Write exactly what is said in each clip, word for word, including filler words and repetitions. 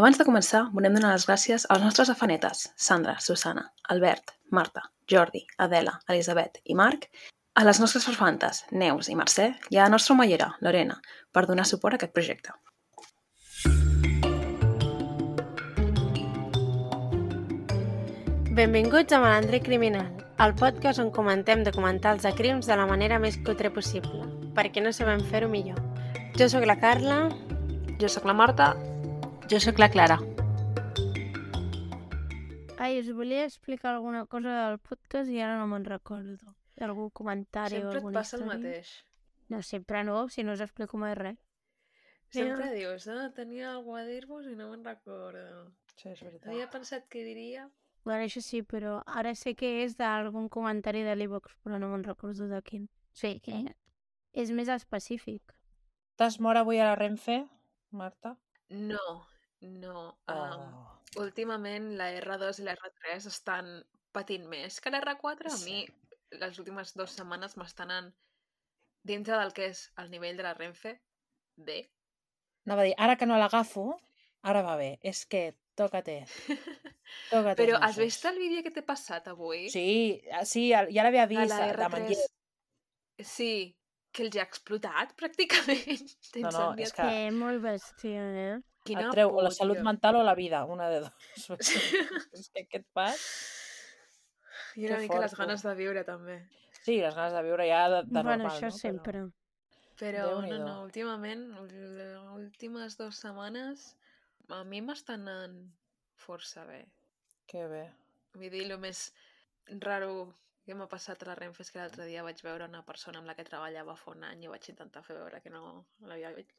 Abans de començar, volem donar les gràcies als nostres afanetes, Sandra, Susana, Albert, Marta, Jordi, Adela, Elisabet i Marc, a les nostres farfantes, Neus i Mercè, i a la nostra omellera, Lorena, per donar suport a aquest projecte. Benvinguts a Malandre Criminal, el podcast on comentem documentals de crims de la manera més cutre possible, perquè no sabem fer-ho millor. Jo sóc la Carla. Jo sóc la Marta. Jo sóc la Clara. Ai, us volia explicar alguna cosa del podcast i ara no me'n recordo. Algun comentari Sempre o et alguna passa el història. mateix. No, sempre no, si no us explico mai res. Sempre dius, ah, tenia alguna a dir-vos i no me'n recordo. Sí, és veritat. Havia pensat que diria... Bueno, això sí, però ara sé que és d'algun comentari de l'e-box, però no me'n recordo de quin. Sí, que és més específic. T'has mort avui a la Renfe, Marta? No, no. Um, Oh. últimament la erre dos i la erre tres estan patint més que l'erre quatre. A mi les últimes dues setmanes m'estan en... dintre del que és el nivell de la Renfe, bé. Anava a dir, ara que no l'agafo, ara va bé. És que toca-te. Toca-te Però els has nassos. vist el vídeo que t'he passat avui? Sí, sí, ja l'havia De vist, la de erre tres. Manlleu. Sí, que els ha explotat pràcticament. No, no, és que Que molt bèstia, eh? Quina et treu o la por, salut tio. mental o la vida, una de dos. És que què et fas? I una Que mica fort, les ganes de viure, també. Sí, les ganes de viure ja de, de Bueno, normal, això no? sempre. Però no, Déu-n'hi-do. no, últimament, les últimes dues setmanes, a mi m'estan anant força bé. Que bé. Vull dir, el més raro que m'ha passat a la Renfe és que l'altre dia vaig veure una persona amb la que treballava fa un any i vaig intentar fer veure que no l'havia vist.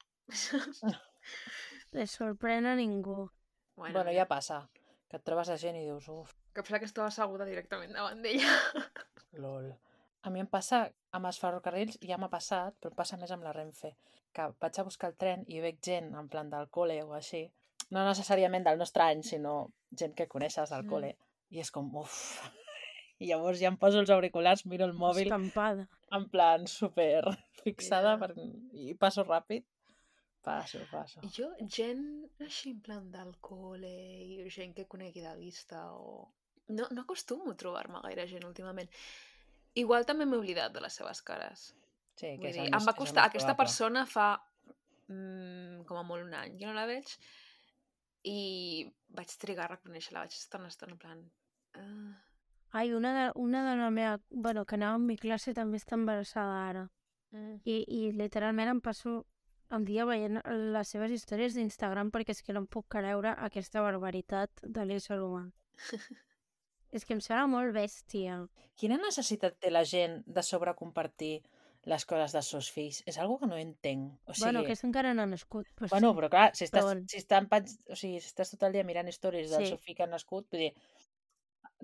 Les sorprèn a ningú. Bueno, Bueno, ja passa. Que et trobes a gent i dius, uf, que pensava que estava asseguda directament davant d'ella. lol. A mi em passa amb els ferrocarrils, ja m'ha passat, però em passa més amb la Renfe, que vaig a buscar el tren i veig gent en plan del col·le o així, no necessàriament del nostre any, sinó gent que coneixes del Mm. col·le, i és com, uf. I llavors ja em poso els auriculars, miro el mòbil, Estampada. en plan super fixada, Ja. per... i passo ràpid. Passo, passo. Jo, gent així en plan del col·le i gent que conegui de vista o... No, no acostumo a trobar-me gaire gent últimament. Igual també m'he oblidat de les seves cares. Sí, que Vull és dir, el em més, va és el costar... més Aquesta probable. persona fa mm, com a molt un any que no la veig i vaig trigar a reconèixer-la. Vaig estar una estona en plan... Uh... Ai, una de, una de la meva... Bueno, que anava amb mi classe també està embarassada ara. Mm. I, i literalment em passo el dia veient les seves històries d'Instagram perquè és que no em puc creure aquesta barbaritat de l'ésser humà. És que em sembla molt bèstia. Quina necessitat té la gent de sobrecompartir les coses dels seus fills? És algo que no entenc. O sigui, Bueno, aquest encara no ha nascut. Però bueno, sí. però clar, si estàs, Però bueno. si estan, pens- o sigui, si estàs tot el dia mirant històries del Sí. seu fill que ha nascut, vull dir,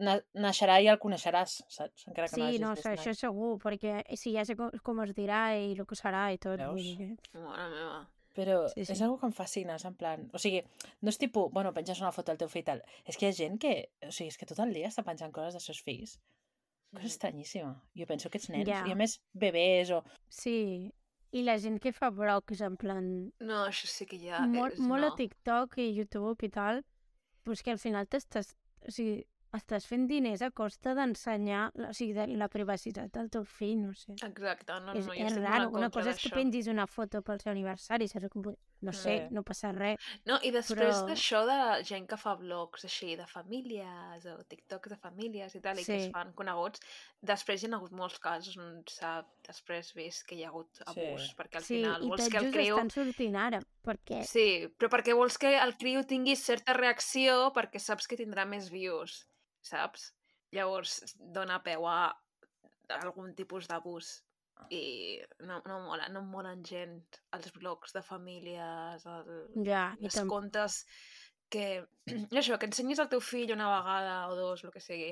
na naixerà i el coneixeràs, saps? Encara que no Sí, hagis no, vist això mai. segur, perquè sí, ja sé com, com es dirà i el que serà i tot. Veus? Vull dir que... Mare meva. Però Sí, sí. és algo que em fascina, és en plan... O sigui, no és tipus, bueno, penges una foto del teu fill i tal. És que hi ha gent que, o sigui, és que tot el dia està penjant coses dels seus fills. Cosa Mm. estranyíssima. Jo penso que ets nens, Ja. i a més, bebès o... Sí, i la gent que fa blogs en plan... No, això sí que ja molt, és... molt no. a TikTok i YouTube i tal, però és que al final t'estàs... O sigui, estàs fent diners a costa d'ensenyar, o sigui, de la privacitat del teu fill, no sé. Exacte, no, és no, jo és estic raro, molt en una contra cosa és que d'això. pengis una foto pel seu aniversari, saps? Com, no sé, Sí. no passa res. No, i després Però- d'això de gent que fa blogs així de famílies o TikToks de famílies i tal, i que es Sí. fan coneguts, després hi ha hagut molts casos on s'ha després vist que hi ha hagut abús, Sí. perquè al Sí, final i vols tot que el just criu... estan sortint ara, perquè... Sí, però perquè vols que el criu tingui certa reacció perquè saps que tindrà més views, saps? Llavors dona peu a algun tipus d'abús. I no, no mola, no em molen gens els blogs de famílies, el, Ja, i els tam- contes que... Això, que ensenyis al teu fill una vegada o dos, el que sigui.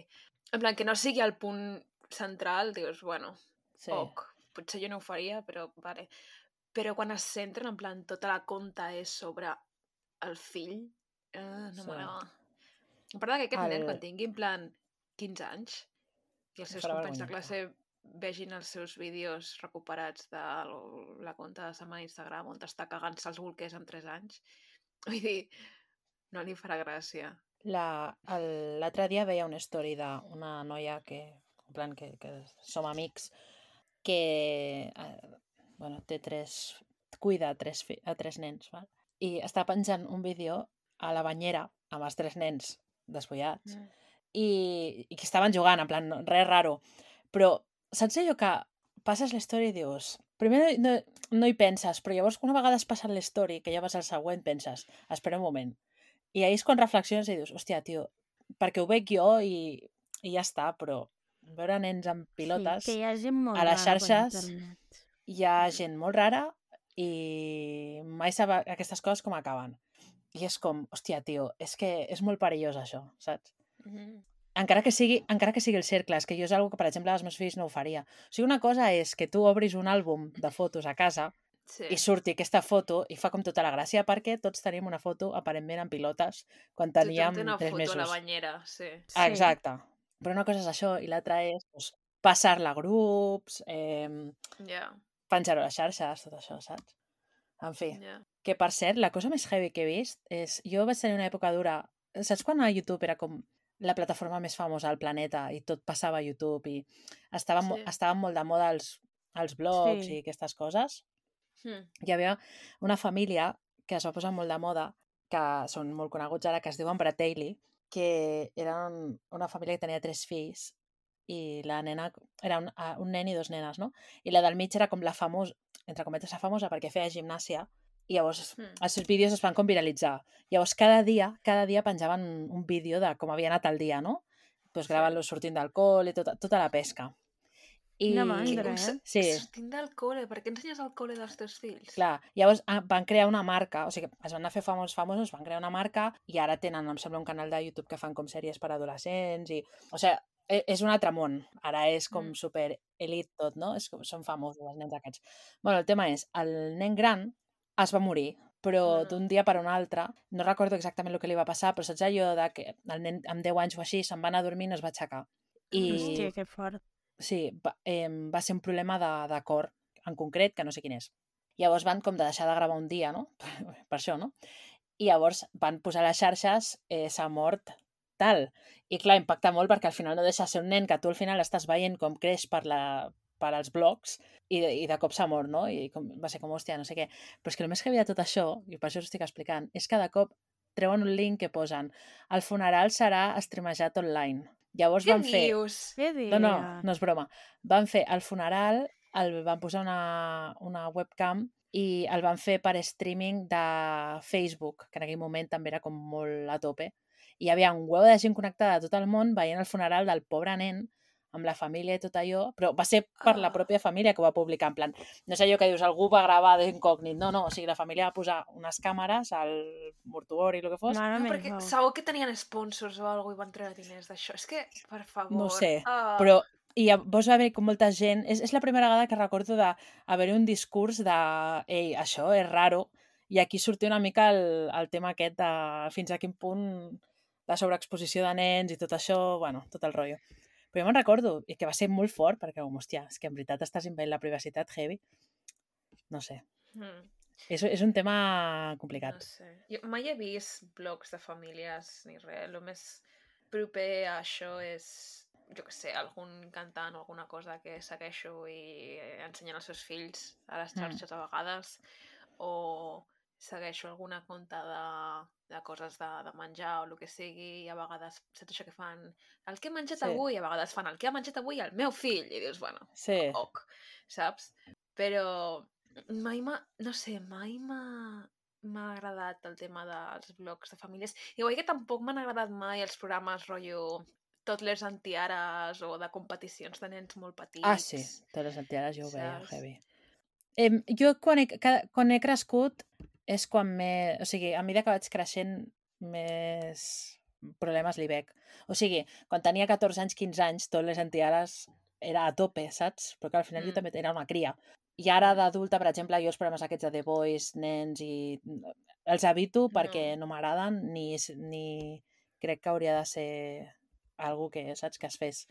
En plan, que no sigui el punt central, dius, bueno, Sí. ok, potser jo no ho faria, però vale. Però quan es centren, en plan, tota la conta és sobre el fill, eh, no Sí. m'agrada. A part que aquest El- nen, quan tingui en plan quinze anys, i els Em seus farà companys de vergonya, classe vegin els seus vídeos recuperats de la conta de setmana d'Instagram on està cagant-se els bolquers amb tres anys. Vull dir, No li farà gràcia. La- el- L'altre dia veia una story d'una noia que, en plan, que, que som amics, que eh, bueno, té tres, cuida tres, fi- a tres nens, val? I està penjant un vídeo a la banyera amb els tres nens despullats Mm. i, i que estaven jugant, en plan, no- res raro. Però saps allò que passes l'història i dius... Primer no, no hi penses, però llavors una vegada has passat l'història, que ja vas al següent, penses, espera un moment. I ahir és quan reflexiones i dius, hòstia, tio, perquè ho veig jo i, i ja està, però veure nens amb pilotes... Sí, que hi ha gent molt a les rara per xarxes internet. hi ha Mm. gent molt rara i mai sap aquestes coses com acaben. I és com, hòstia, tio, és que és molt perillós això, saps? Mm. Encara que sigui, encara que sigui el cercle, és que jo és una que, per exemple, als meus fills no ho faria. O sigui, una cosa és que tu obris un àlbum de fotos a casa Sí. i surti aquesta foto i fa com tota la gràcia perquè tots tenim una foto aparentment en pilotes quan Tothom teníem té una tres foto a la mesos. banyera, sí. Ah, Sí. exacte. Però una cosa és això i l'altra és doncs, passar-la a grups, eh, Ja, penjar-ho a les xarxes, tot això, saps? En fi, ja. que per cert, la cosa més heavy que he vist és... Jo vaig tenir una època dura... Saps quan a YouTube era com la plataforma més famosa al planeta i tot passava a YouTube i estaven, mo- Sí. estaven molt de moda els, els blogs Sí. i aquestes coses? Mm. Hi havia una família que es va posar molt de moda, que són molt coneguts ara, que es diuen Bratelli, que eren una família que tenia tres fills i la nena era un, ah, un nen i dos nenes, no? I la del mig era com la famosa, entre cometes la famosa, perquè feia gimnàsia i llavors Mm. els seus vídeos es van com viralitzar. Llavors cada dia, cada dia penjaven un vídeo de com havia anat el dia, no? Pues Sí. gravant-los sortint del col i tota, tota la pesca. I... Quina Que, mandra, un, eh? Sí, sortint del col·le, per què ensenyes el col·le dels teus fills? clar, llavors ah, van crear una marca, o sigui, es van anar a fer famosos famosos, van crear una marca i ara tenen, em sembla, un canal de YouTube que fan com sèries per adolescents i... O sigui, e- és un altre món. Ara és com Mm. super elit tot, no? És com, són famosos els nens aquests. Bueno, el tema és, el nen gran es va morir, però Oh, no. d'un dia per un altre, no recordo exactament el que li va passar, però saps allò de que el nen amb deu anys o així se'n va anar a dormir i no es va aixecar. I Hòstia, que fort. sí, va, eh, va ser un problema de, de cor en concret, que no sé quin és. Llavors van com de deixar de gravar un dia, no? Per això, no? I llavors van posar a les xarxes eh, s'ha mort tal. I clar, impacta molt perquè al final no deixa de ser un nen que tu al final estàs veient com creix per, la, per als blogs i, de- i de cop s'ha mort, no? I com, va ser com, hòstia, no sé què. Però és que el més heavy de tot això, i per això us estic explicant, és que de cop treuen un link que posen el funeral serà streamejat online. Llavors Què van fer... dius? Què dius? No, no, no és broma. Van fer el funeral, el van posar una, una webcam i el van fer per streaming de Facebook, que en aquell moment també era com molt a tope. I hi havia un huevo de gent connectada de tot el món veient el funeral del pobre nen amb la família i tot allò, però va ser per la Ah. pròpia família que ho va publicar, en plan, no és allò que dius, algú va gravar d'incògnit, no, no, o sigui, la família va posar unes càmeres al mortuori, el que fos, Mare No, perquè meva. segur que tenien sponsors o alguna cosa i van treure diners d'això. És que, per favor... no ho sé, ah. però i llavors va haver com molta gent, és, és la primera vegada que recordo d'haver un discurs de ei, això és raro, i aquí sortia una mica el, el tema aquest de fins a quin punt la sobreexposició de nens i tot això, bueno, tot el rotllo. Però jo me'n recordo, i que va ser molt fort, perquè, com, hòstia, és que en veritat estàs invadint la privacitat heavy. No sé, Mm. és, és un tema No complicat. sé. Jo mai he vist blogs de famílies ni res. El més proper a això és, jo que sé, algun cantant o alguna cosa que segueixo i ensenyen als seus fills a les Mm. xarxes a vegades, o segueixo alguna conta de, de coses de, de menjar o el que sigui, i a vegades saps això que fan el que he menjat Sí. avui, i a vegades fan el que ha menjat avui el meu fill, i dius, bueno, Sí, ok, saps? Però mai m'ha, no sé, mai m'ha m'ha agradat el tema dels blogs de famílies. Igual que tampoc m'han agradat mai els programes rotllo tot les antiares o de competicions de nens molt petits. ah, sí, te les antiares jo ho veia, Saps? heavy. Em, jo quan he, ca- quan he crescut és quan m'he... O sigui, a mesura que vaig creixent més problemes li veig. O sigui, quan tenia catorze anys, quinze anys, tot les antiares era a tope, saps? Però que al final jo Mm. també era una cria. I ara Mm. d'adulta, per exemple, jo els programes aquests de The Voice, nens i... Els evito perquè No. no m'agraden ni, s- ni crec que hauria de ser algo que, saps, que es fes.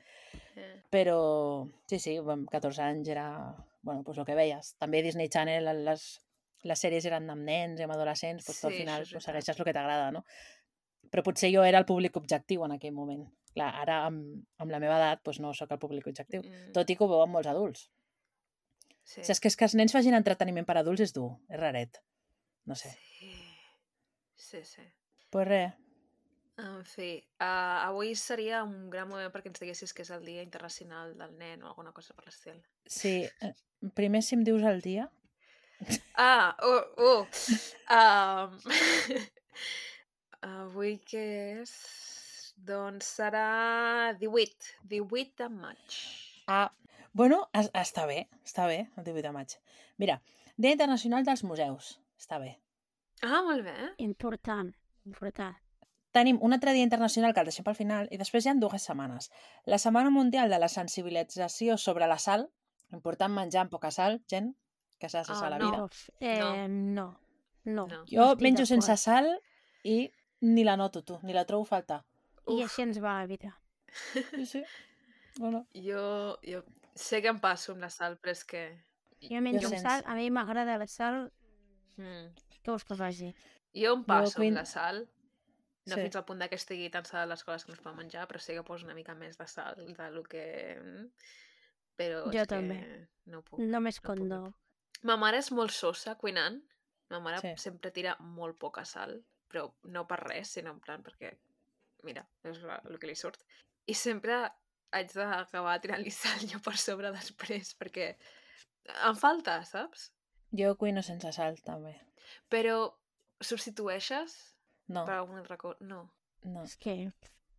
Eh. Però sí, sí, amb catorze anys era... Bueno, pues el que veies. També Disney Channel, les, les sèries eren amb nens i amb adolescents, pues tu al Sí, final això és pues, veritat. segueixes el que t'agrada, no? Però potser jo era el públic objectiu en aquell moment. Clar, ara amb, amb la meva edat doncs no sóc el públic objectiu, Mm, tot i que ho veuen molts adults. sí. O sigui, és que, és que els nens facin entreteniment per adults és dur, és raret. No sé. Sí, sí, sí. Pues res, En fi, uh, avui seria un gran moment perquè ens diguessis que és el Dia Internacional del Nen o alguna cosa per l'estil. sí. eh, Primer, si em dius el dia... Ah, oh, oh. Um, avui què és? Doncs serà divuit, divuit de maig. Ah, bueno, es, està bé, està bé, el divuit de maig. Mira, Dia Internacional dels Museus, està bé. Ah, molt bé. Important, important. Tenim un altre dia internacional que el deixem pel final i després hi ha dues setmanes. La Setmana Mundial de la Sensibilització sobre la sal, important menjar amb poca sal, gent, que s'ha de Ah, sal a la no. vida. Uf, eh, no. No. No. Jo estic menjo d'acord. sense sal i ni la noto, tu, ni la trobo a faltar. I Uf. així ens va la vida. Sí, sí. Bueno, Jo, jo sé que em passo amb la sal, però és que... Jo menjo amb sense. sal, a mi m'agrada la sal, Mm. què vols que faci? Jo em passo Queen- amb la sal, no Sí. fins al punt de que estigui tan sal les coses que no es poden menjar, però sí que poso una mica més de sal de lo que... mm, Però Jo és també. que no puc. Només no quan puc, no. no puc. Ma mare és molt sosa cuinant. Ma mare Sí. sempre tira molt poca sal, però no per res, sinó en plan perquè, mira, és la- el que li surt. I sempre haig d'acabar tirant-li sal jo per sobre després, perquè em falta, saps? Jo cuino sense sal, també. Però substitueixes No, per algun altre cosa? No. no. És que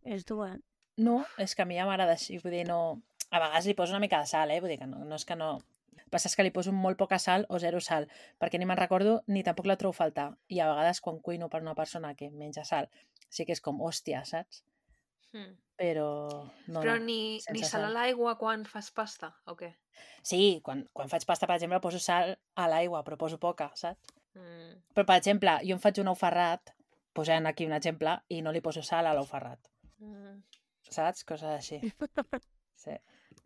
és dur, eh? No, és que a mi ja m'agrada així, vull dir, no... A vegades li poso una mica de sal, eh? Vull dir que no, no és que no... El que passa és que li poso molt poca sal o zero sal, perquè ni me'n recordo ni tampoc la trobo a faltar. I a vegades quan cuino per una persona que menja sal, sí que és com, hòstia, saps? Mm. Però no, Però no, ni, ni sense sal a sal. l'aigua quan fas pasta, o què? Sí, quan, quan faig pasta, per exemple, poso sal a l'aigua, però poso poca, saps? Mm. Però, per exemple, jo em faig un ou ferrat, posant aquí un exemple, i no li poso sal a l'ou ferrat, Mm. saps? Coses així. Sí,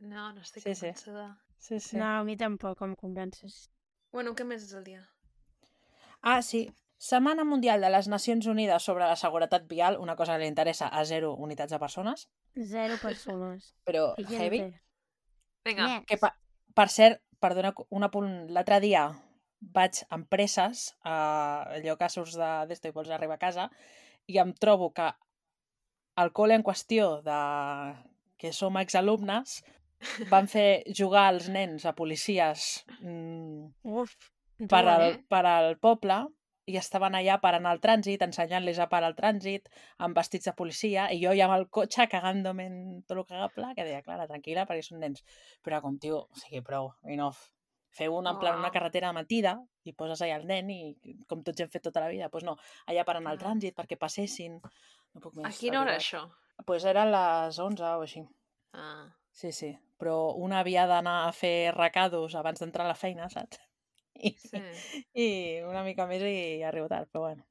No, no estic Sí, sí. convençuda. sí, sí. No, a mi tampoc em convences. Bueno, què més és el dia? Ah, sí. Setmana Mundial de les Nacions Unides sobre la Seguretat Vial, una cosa que li interessa a zero unitats de persones, Zero persones. però I heavy. gente. Vinga. Next. Que, per, per cert, perdona, un apunt, l'altre dia vaig amb presses, a allò que surts de d'esto i vols arribar a casa, i em trobo que el col·le en qüestió de que som exalumnes van fer jugar els nens a policies mm, Uf, per, dur, al, eh? per al poble i estaven allà parant el trànsit, ensenyant-los a parar el trànsit amb vestits de policia i jo ja amb el cotxe cagant-me en tot el cagable que deia, Clara, tranquil·la, perquè són nens. Però com, tio, o sigui, prou, enough. Feu una, en plan, una Uau. carretera matida i poses allà el nen i com tots hem fet tota la vida, doncs no, allà parant el Ah. trànsit perquè passessin. No puc més. A quina hora, de veritat. això? Doncs pues eren les onze o així. Ah. Sí, sí. Però una havia d'anar a fer recados abans d'entrar a la feina, saps? I, Sí. i una mica més i arribo tard, però bueno,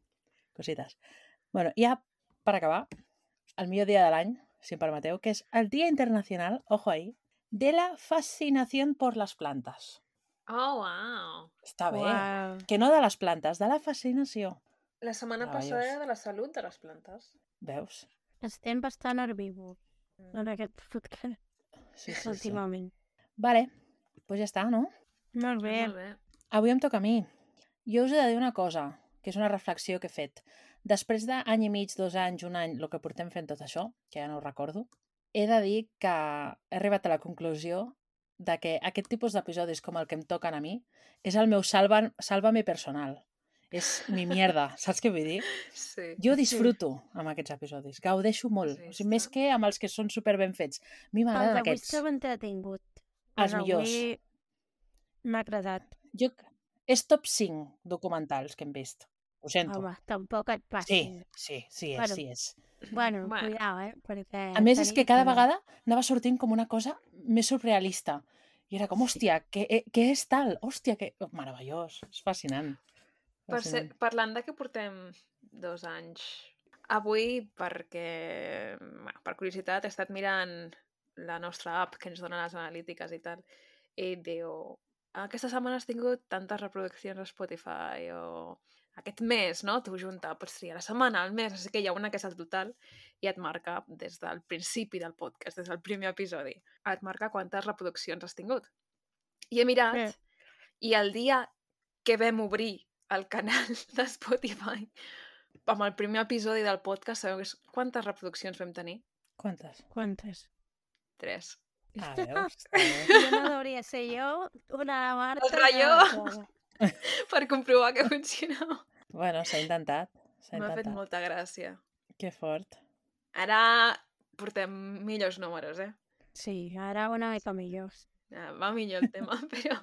cosites. Bueno, ja per acabar, el millor dia de l'any, si em permeteu, que és el Dia Internacional, ojo ahí, de la fascinación por las plantas. Oh, wow. Està bé. Uau. Que no de les plantes, de la fascinació. La setmana Meravellós. passada era de la salut de les plantes. Veus? Estem bastant herbívors en aquest podcast Sí, sí, sí. últimament. Vale, doncs pues ja està, no? Molt bé. Molt bé. Avui em toca a mi. Jo us he de dir una cosa, que és una reflexió que he fet. Després d'any i mig, dos anys, un any, el que portem fent tot això, que ja no ho recordo, he de dir que he arribat a la conclusió de que aquest tipus d'episodis com el que em toquen a mi és el meu salva, sálvame personal. És mi mierda, saps què vull dir? Sí. Jo disfruto amb aquests episodis, gaudeixo molt. Has O sigui, més vist? que amb els que són super ben fets. A mi El m'agraden d'avui aquests. s'ha entretingut. Els El millors. d'avui m'ha agradat. Jo... És top cinc documentals que hem vist. Ho sento. Home, tampoc et Sí, passis. sí, sí és, Bueno. sí és. Bueno, Bueno. cuidao, eh? Perquè A més, és que tenim cada tema. vegada anava sortint com una cosa més surrealista. I era com, hòstia, què, eh, què és tal? Hòstia, que... Oh, meravellós, és fascinant. Per ser, Fascinant. parlant de que portem dos anys, avui, perquè, bueno, per curiositat, he estat mirant la nostra app que ens dona les analítiques i tal, i diu, aquesta setmana has tingut tantes reproduccions a Spotify o aquest mes, no? Tu junta, pots triar la setmana, el mes, així que hi ha una que és el total i et marca des del principi del podcast, des del primer episodi, et marca quantes reproduccions has tingut. I he mirat, Bé. i el dia que vam obrir el canal de Spotify amb el primer episodi del podcast, sabeu quantes reproduccions vam tenir? Quantes? Quantes? Tres. Ah, veus? Jo no hauria de ser jo, una Marta... El ratlló. i una Clara. Per comprovar que funcionava. Bueno, s'ha intentat. S'ha M'ha fet intentat. molta gràcia. Que fort. Ara portem millors números, eh? Sí, ara una mica millors. Ja, va millor el tema, però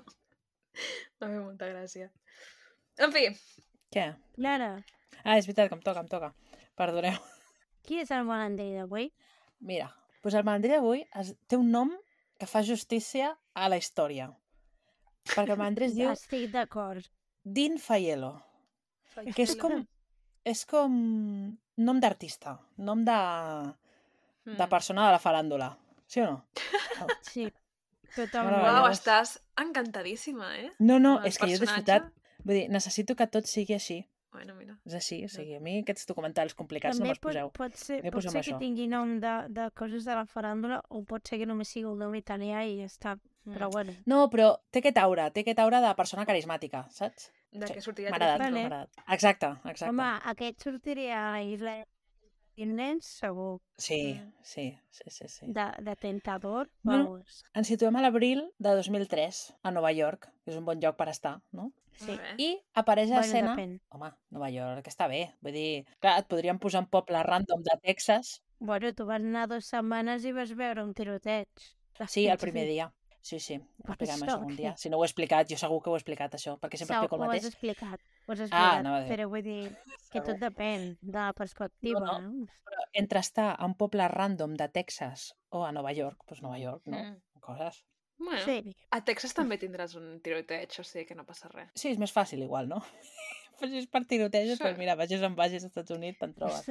m'ha fet molta gràcia. En fi, Què? Clara, Ah, és veritat que em toca, em toca. Perdoneu. qui és el malandrí d'avui? Mira, doncs el malandrí d'avui es... té un nom que fa justícia a la història. Perquè el malandrí es diu Estic d'acord. Dean Faiello, que és com... és com nom d'artista, nom de, Mm. de persona de la faràndula. Sí o no? Sí, Bueno, totalment. Uau, llavors- estàs encantadíssima, eh? No, no, Amb el és que jo he personatge. disfrutat. Vull dir, necessito que tot sigui així. Bueno, mira. És així, o sigui, a mi aquests documentals complicats També no me'ls pot, poseu. pot ser, Jo pot posa'm ser que això. tingui nom de, de coses de la faràndula o pot ser que només sigui el nom italià i ja està. Mm. Però bueno, No, però té aquest aura, té aquest aura de persona carismàtica, saps? De Sí, què sortiria M'ha agradat, Telecinco. Vale. m'ha agradat. Exacte, exacte. home, aquest sortiria a Isla de nens, segur, Sí, Mm. sí, sí, sí, sí. de, de tentador. Bueno, Vamos. Ens situem a l'abril de dos mil tres, a Nova York, que és un bon lloc per estar, no? Sí. Molt bé. I apareix a Bueno, escena... depèn. Home, Nova York està bé. Vull dir, clar, et podríem posar un poble random de Texas. Bueno, tu vas anar dues setmanes i vas veure un tiroteig. Sí, el primer dia. Sí, sí, Per expliquem això, això un què? dia. Si no ho he explicat, jo segur que ho he explicat, això, perquè sempre Sau, explico el ho has mateix. explicat, ho has Ah, explicat, anava a dir. però vull dir que tot depèn de la perspectiva, No, no? Però entre estar a un poble random de Texas o a Nova York, doncs Nova York, no? Mm. Coses. Bueno, Sí, a Texas també tindràs un tiroteig, o sigui que no passa res. Sí, és més fàcil igual, no? Però si és per tirotejos, Sí. doncs mira, vagis on vagis als Estats Units, te'n trobes.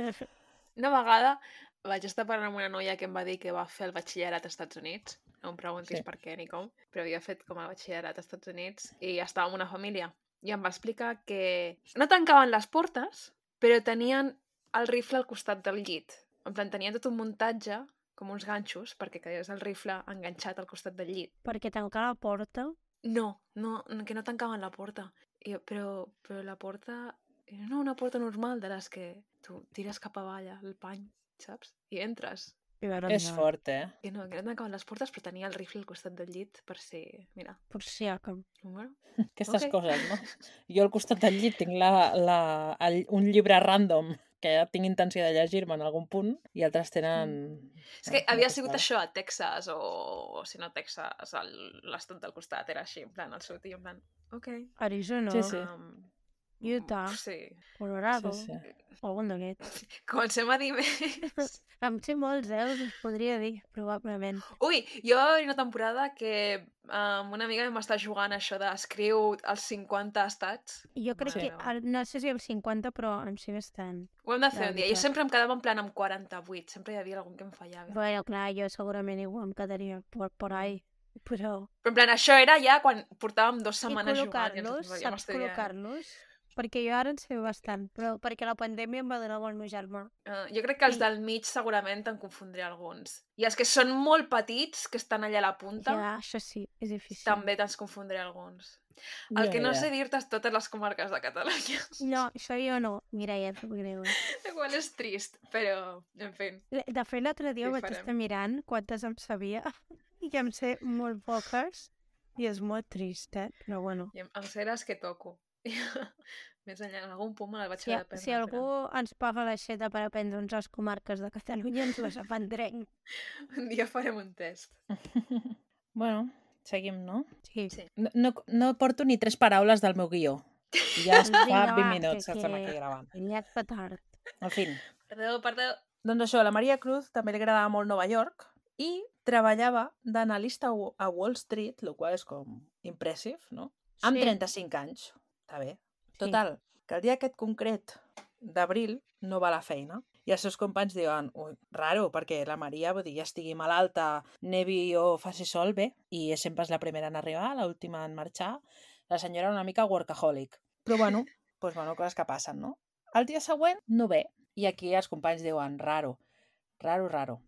Una vegada vaig estar parlant amb una noia que em va dir que va fer el batxillerat als Estats Units. No em preguntis Sí. per què ni com, però havia fet com a batxillerat als Estats Units i estava amb una família. I em va explicar que no tancaven les portes, però tenien el rifle al costat del llit. En plan, tenien tot un muntatge, com uns ganxos, perquè quedés el rifle enganxat al costat del llit. perquè tancar la porta... No, no, no, que no tancaven la porta. I, jo, però, però la porta... No, una porta normal de les que tu tires cap avall el pany, saps? I entres. I veure, És fort, eh? Que no, que no tancaven les portes, però tenia el rifle al costat del llit per si... Mira, Per si ha que... bueno. Aquestes Ok. coses, no? Jo al costat del llit tinc la, la, el, un llibre random que ja tinc intenció de llegir-me en algun punt i altres tenen... És que una havia sigut costada. això a Texas o, o si no a Texas, el- l'estat del costat era així, en plan, el seu tio, en plan, ok. Arizona, Sí, sí. Um, Utah, Sí. Colorado, Sí, sí. algun d'aquests. Comencem a dir més. Em sé molts, eh? Us podria dir, probablement. Ui, jo hi havia una temporada que amb una amiga vam estar jugant a això d'escriu els cinquanta estats. Jo crec Mare que, meva. el- no sé si el cinquanta, però em sé bastant. Ho hem de De fer un dia. Jo veritat. sempre em quedava en plan amb quaranta-vuit. Sempre hi havia algun que em fallava. Bueno, clar, jo segurament igual em quedaria por, por ahí, però... Però en plan, això era ja quan portàvem dues I setmanes jugant. I ens col·locar-los, fèiem saps estudiant. col·locar-los? Perquè jo ara en sé bastant, però perquè la pandèmia em va donar el meu germà. Uh, jo crec que els I- del mig segurament en confondré alguns. I els que són molt petits, que estan allà a la punta, Ja, això sí, és difícil. també te'ls confondré alguns. El Ja, que no ja. sé dir-te és totes les comarques de Catalunya. No, això jo no, Mireia, et greu. El qual és trist, però, en fi. De fet, l'altre dia Què vaig farem? estar mirant quantes em sabia i em sé molt poques i és molt trist, eh? Però bueno. I em, em sé les que toco. Més enllà, en algun punt me les vaig Si, haver d'aprendre. si algú ens paga l'aixeta per aprendre'ns les comarques de Catalunya, ens les aprendrem. Però un dia farem un test. Bueno, seguim, no? Sí. Sí. No, no, no porto ni tres paraules del meu guió. I ja es fa Vinga, vint va, minuts que- que estem que- aquí gravant. Ja és petard. En fi. Perdó, perdó. Doncs això, la Maria Cruz també li agradava molt Nova York i treballava d'analista a Wa- a Wall Street, el qual és com impressive, no? Amb Sí. trenta-cinc anys. Està bé. Sí. Total, que el dia aquest concret d'abril no va a la feina i els seus companys diuen, ui, raro, perquè la Maria, vull dir, ja estigui malalta, nevi o faci sol, bé, i és sempre és la primera en arribar, l'última en marxar. La senyora una mica workaholic. Però bueno, pues, bueno, coses que passen, no? El dia següent no ve. I aquí els companys diuen, raro, raro, raro.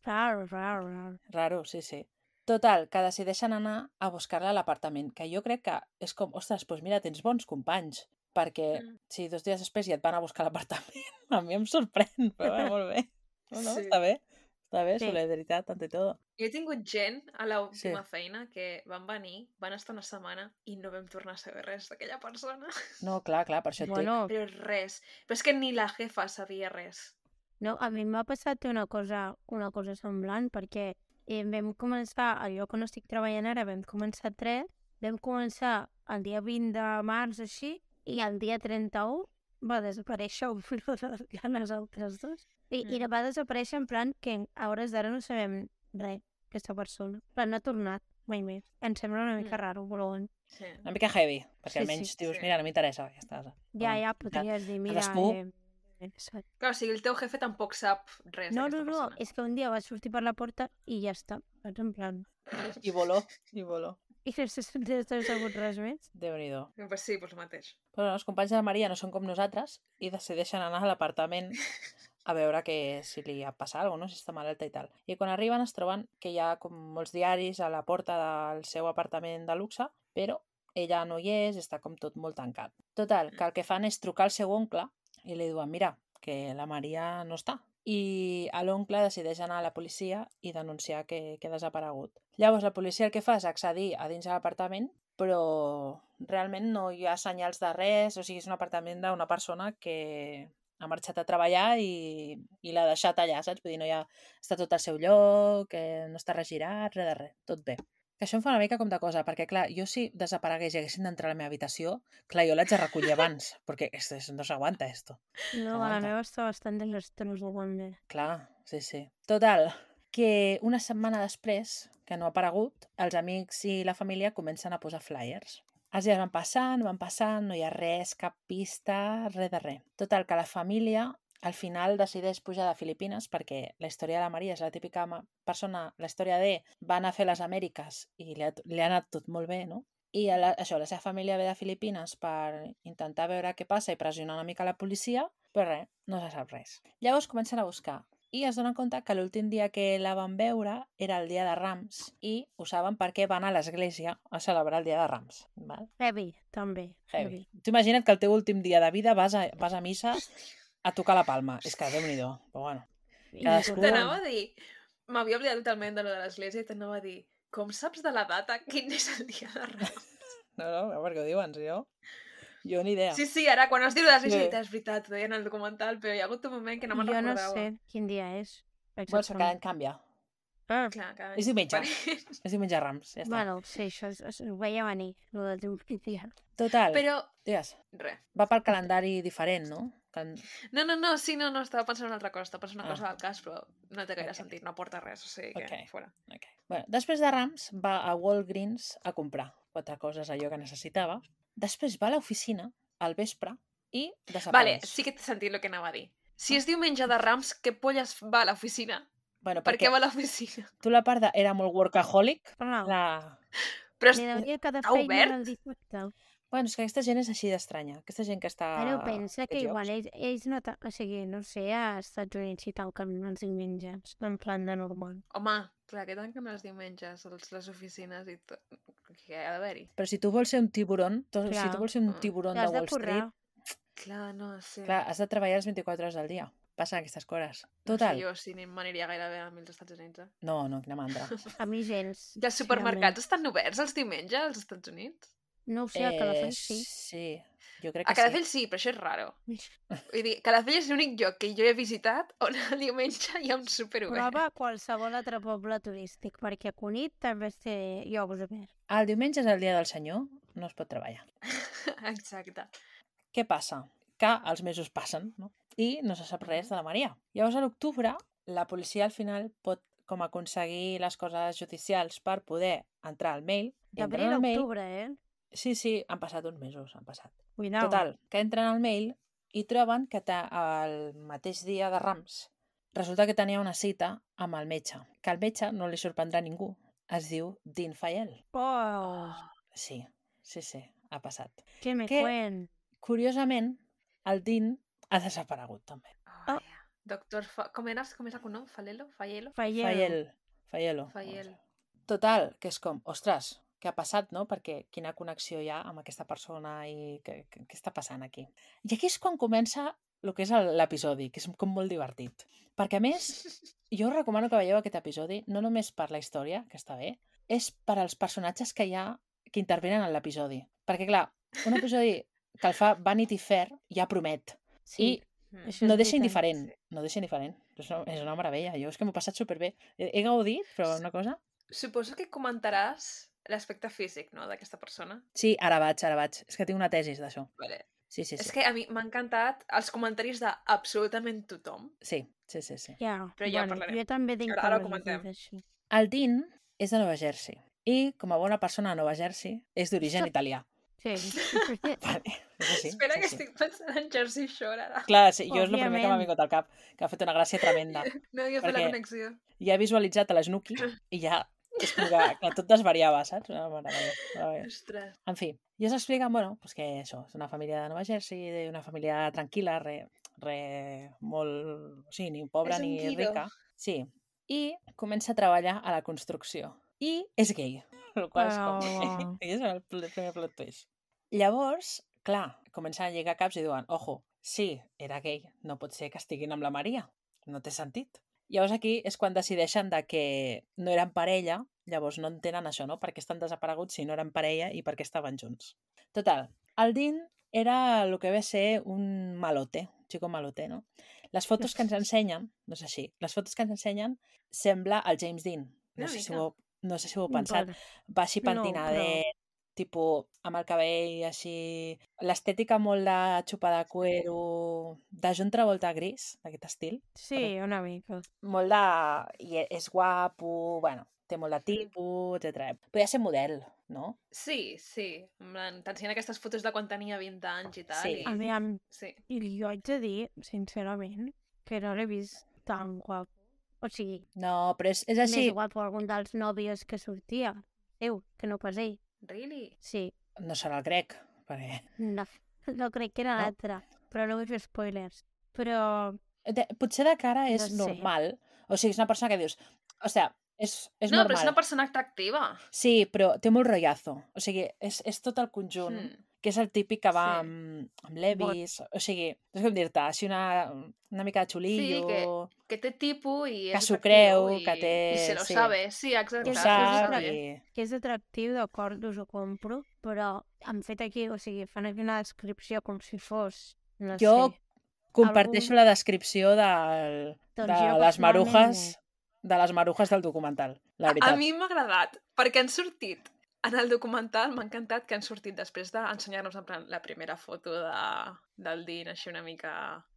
Raro, raro, raro. Raro, sí, sí. Total, que decideixen anar a buscar-la a l'apartament, que jo crec que és com, ostres, doncs mira, tens bons companys, perquè Mm. si dos dies després ja et van a buscar a l'apartament, a mi em sorprèn, però bueno, molt bé. No, no, Sí. està bé, està bé, Sí. solidaritat ante todo. Jo he tingut gent a l'última Sí. feina que van venir, van estar una setmana i no vam tornar a saber res d'aquella persona. No, clar, clar, per això et dic. Bueno, Però res. Però és que ni la jefa sabia res. no, a mi m'ha passat una cosa, una cosa semblant, perquè eh, vam començar, al lloc on estic treballant ara, vam començar tres, vam començar el dia vint de març, així, i el dia trenta-u va desaparèixer un de les altres dos. I, Mm. I va desaparèixer en plan que a hores d'ara no sabem res, aquesta persona. En plan, no ha tornat mai més. Em sembla una mica Mm. raro, però bueno. Sí. Una mica heavy, perquè Sí, almenys sí. dius, Sí. mira, no m'interessa, ja està. Ja, Bueno, ja, podries dir, mira... cadascú- Eh, eh, saps? Clar, o sigui, el teu jefe tampoc sap res no, no, d'aquesta no, persona. és que un dia va sortir per la porta i ja està. Saps? En plan... I voló, i voló. I no s'ha no sabut res més. Déu-n'hi-do. Pues sí, pues el mateix. Però els companys de la Maria no són com nosaltres i decideixen anar a l'apartament a veure que si li ha passat alguna cosa, no? Si està malalta i tal. I quan arriben es troben que hi ha com molts diaris a la porta del seu apartament de luxe, però ella no hi és, està com tot molt tancat. Total, que el que fan és trucar al seu oncle i li diuen, mira, que la Maria no està. I l'oncle decideix anar a la policia i denunciar que, que ha desaparegut. Llavors la policia el que fa és accedir a dins de l'apartament, però realment no hi ha senyals de res, o sigui, és un apartament d'una persona que ha marxat a treballar i, i l'ha deixat allà, saps? Vull dir, no hi ha... està tot al seu lloc, que no està regirat, res de res, tot bé. Que això em fa una mica com de cosa, perquè clar, jo si desaparegués i haguessin d'entrar a la meva habitació, clar, jo l'haig de recollir abans, perquè esto, esto no s'aguanta, esto. No, Aguanta. la meva està bastant desastrosa, també. Clar, sí, sí. Total, que una setmana després, que no ha aparegut, els amics i la família comencen a posar flyers. Els dies van passant, van passant, no hi ha res, cap pista, res de res. Total, que la família al final decideix pujar de Filipines perquè la història de la Maria és la típica ma- persona, la història de va anar a fer les Amèriques i li ha, li ha anat tot molt bé, no? I a la, això, la seva família ve de Filipines per intentar veure què passa i pressionar una mica la policia, però res, no se sap res. Llavors comencen a buscar i es donen compte que l'últim dia que la van veure era el dia de Rams i ho saben perquè van a l'església a celebrar el dia de Rams. Val? Heavy, també. Heavy. Tu imagina't que el teu últim dia de vida vas a, vas a missa a tocar la palma. És que Déu-n'hi-do. Però bueno, I Cadascú- tot- T'anava a dir... M'havia oblidat totalment de lo de l'església i t'anava a dir com saps de la data quin és el dia de Rams? no, no, perquè ho diuen, si no... Jo ni idea. Sí, sí, ara quan has dit de l'església Sí. he dit, és veritat, ho deien en el documental, però hi ha hagut un moment que no me'n jo no recordava. sé quin dia és. Bueno, que cada any canvia. Ah, Clar, cada És any. diumenge. Vale. És diumenge de Rams, ja està. bueno, sí, això es, es, ho veia venir, el del diumenge. Total, Però, digues, res. va pel calendari diferent, no? Que... No, no, no, sí, no, no, estava pensant en una altra cosa, estava pensant en una Ah. cosa del cas, però no té gaire Ok. sentit, no aporta res, o sigui que Ok. fora. Okay. Bueno, després de Rams va a Walgreens a comprar quatre coses, allò que necessitava. Després va a l'oficina al vespre i desapareix. Vale, sí que té sentit el que anava a dir. Si Ah. és diumenge de Rams, què polles va a l'oficina? Bueno, Per perquè què va a l'oficina? tu la part de era molt workaholic, Però la... Però li és... deuria cada està feina obert? el dissabte. Bueno, és que aquesta gent és així d'estranya. Aquesta gent que està... Però pensa que aquests igual llocs. ells, ells no... ta- O sigui, no sé, als Estats Units si tanquen els diumenges, en plan de normal. Home, clar, que tanquen els diumenges els, les oficines i tot. Què ha d'haver-hi? Però si tu vols ser un tiburón, tu, si Clar. tu vols ser un Ah. tiburón de T'has de Wall Street, currar. Clar, no sé. clar, has de treballar les vint-i-quatre hores del dia. Passen aquestes coses. No Total. sé jo si ni m'aniria gaire bé amb els Estats Units. Eh? No, no, quina mandra. A mi gens. I els supermercats estan oberts els diumenges als Estats Units? No ho sé, a Calafell sí. Sí, jo crec que A Calafell sí, però això és raro. Vull dir, Calafell és l'únic lloc que jo he visitat on el diumenge hi ha un súper obert. Prova qualsevol altre poble turístic, perquè a Cunit també té llocs oberts. sí. El diumenge és el dia del senyor, no es pot treballar. Exacte. Què passa? Que els mesos passen, no? I no se sap res de la Maria. Llavors, a l'octubre, la policia al final pot com aconseguir les coses judicials per poder entrar al mail. I entren D'abril a al mail... octubre, eh? Sí, sí, han passat uns mesos, han passat. Cuidao. Total, que entren al mail i troben que ta- el mateix dia de Rams resulta que tenia una cita amb el metge, que al metge no li sorprendrà a ningú. Es diu Dean Fayel. Oh, Sí, sí, sí, ha passat. que me Què? cuen. curiosament, el Dean ha desaparegut també. Oh, yeah. Doctor Fa... Com eres? Com és el cognom? Falelo? Faielo? Faielo. Faiel. Faielo. Faiel. Total, que és com, ostres, què ha passat, no? Perquè quina connexió hi ha amb aquesta persona i què, què, què està passant aquí? I aquí és quan comença el que és el- l'episodi, que és com molt divertit. Perquè, a més, jo us recomano que veieu aquest episodi, no només per la història, que està bé, és per als personatges que hi ha que intervenen en l'episodi. Perquè, clar, un episodi que el fa Vanity Fair ja promet. Sí, Mm. això No és deixa veritat. indiferent, no deixa indiferent. És una, és una meravella. Jo és que m'ho he passat superbé. He, he gaudit, però una cosa... Suposo que comentaràs l'aspecte físic, no?, d'aquesta persona. Sí, ara vaig, ara vaig. És que tinc una tesis d'això. Vale. Sí, sí, És sí. que a mi m'ha encantat els comentaris d'absolutament tothom. Sí, sí, sí, sí. Ja, Però ja bueno, parlarem. jo també tinc Ara- ara ho coses a dir comentem. d'això. El Dean és de Nova Jersey i, com a bona persona de Nova Jersey, és d'origen Ostres. italià. Sí. Vale, és així. Espera, és que així. estic pensant en Jersey Shore ara. Clar, sí, jo és el primer que m'ha Òbviament. vingut al cap, que ha fet una gràcia tremenda. No havia fet la Perquè- connexió. Ja he visualitzat a l'Snooki i ja és com que, que tot desvariava, saps? Una meravella, meravella. Ostres. En fi, i es explica, bueno, pues que això, és una família de Nova Jersey, una família tranquil·la, re, re molt... O sigui, ni pobra És un ni guido. rica. Sí. I comença a treballar a la construcció. I és gay. El qual és com... Però- I és el pl- primer plot twist. Llavors, clar, comencen a lligar caps i diuen, ojo, sí, era gay, no pot ser que estiguin amb la Maria. No té sentit. Llavors aquí és quan decideixen de que no eren parella, llavors no entenen això, no? Per què estan desapareguts si no eren parella i per què estaven junts. Total, el Dean era el que ve a ser un malote, un chico malote, no? Les fotos que ens ensenyen, no és així, les fotos que ens ensenyen sembla el James Dean. No, Una sé si mica. ho, no sé si ho heu pensat. Vale. Va així No, pentinadet, tipus amb el cabell així... L'estètica molt de xupa de cuero, de John Travolta gris, d'aquest estil. Sí, una mica. Molt de... I és guapo, bueno, té molt de tipus, etcètera. Podria ser model, no? Sí, sí. En plan, t'ensenyen aquestes fotos de quan tenia vint anys i tal. Sí. I... A mi, em... Sí. i jo haig de dir, sincerament, que no l'he vist tan guapo. O sigui, No, però és, és així... més guapo algun dels nòvios que sortia. Déu, que no pas ell. Really? Sí, No serà el grec, perquè... no, no crec que era No. l'altre, però no vull fer spoilers. Però De, potser de cara és No sé. normal. O sigui, és una persona que dius... O sigui, és, és no, normal. però és una persona atractiva. Sí, però té molt rotllazo. O sigui, és, és tot el conjunt, Mm. que és el típic que va Sí. amb, amb levis, o sigui, no sé com dir-te, així una, una mica de xulillo... que- Que té tipus i és Que s'ho atractiu creu, i, que té- I se lo sí. sabe. Sí, exacte. ho és- se lo sap sabe. i... que és atractiu, d'acord, us ho compro, però han fet aquí, o sigui, fan aquí una descripció com si fos, no Jo sé, comparteixo algun- la descripció del, Doncs de jo les personalment marujes no. de les marujes del documental, la A veritat. mi m'ha agradat, perquè han sortit en el documental, m'ha encantat que han sortit després d'ensenyar-nos en plan la primera foto de, del Dean, així una mica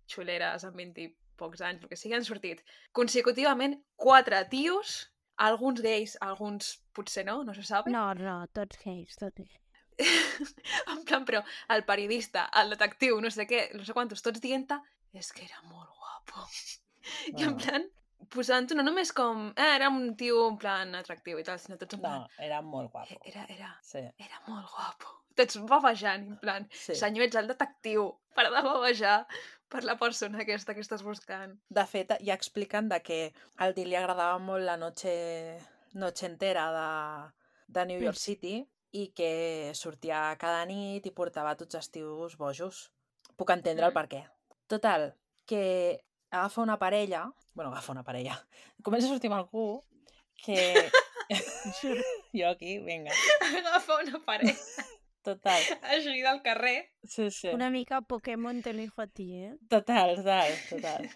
xuleres amb vint i pocs anys, el que sigui, han sortit consecutivament quatre tios, alguns gais, alguns potser no, no se sabe. No, no, tots gais, tots gais. En plan, però el periodista, el detectiu, no sé què, no sé quantos, tots dient-te, és que era molt guapo. I en No. plan, posant-ho no només com, eh, era un tio en plan atractiu i tal, sinó tots en plan, No, era molt guapo. era, era, Sí, era molt guapo. Tots bavejant, en plan, sí. senyor, ets el detectiu, para de bavejar per la persona aquesta que estàs buscant. De fet, ja expliquen de que al Dean li agradava molt la noche, noche entera de, de New York Mm. City i que sortia cada nit i portava tots els tios bojos. Puc entendre el Mm. per què. Total, que agafa una parella, bueno, agafa una parella, comença a sortir amb algú que... jo aquí, vinga. Agafa una paret Total, així del carrer. sí, sí. Una mica Pokémon te lo hijo a ti, eh? Total, total, total.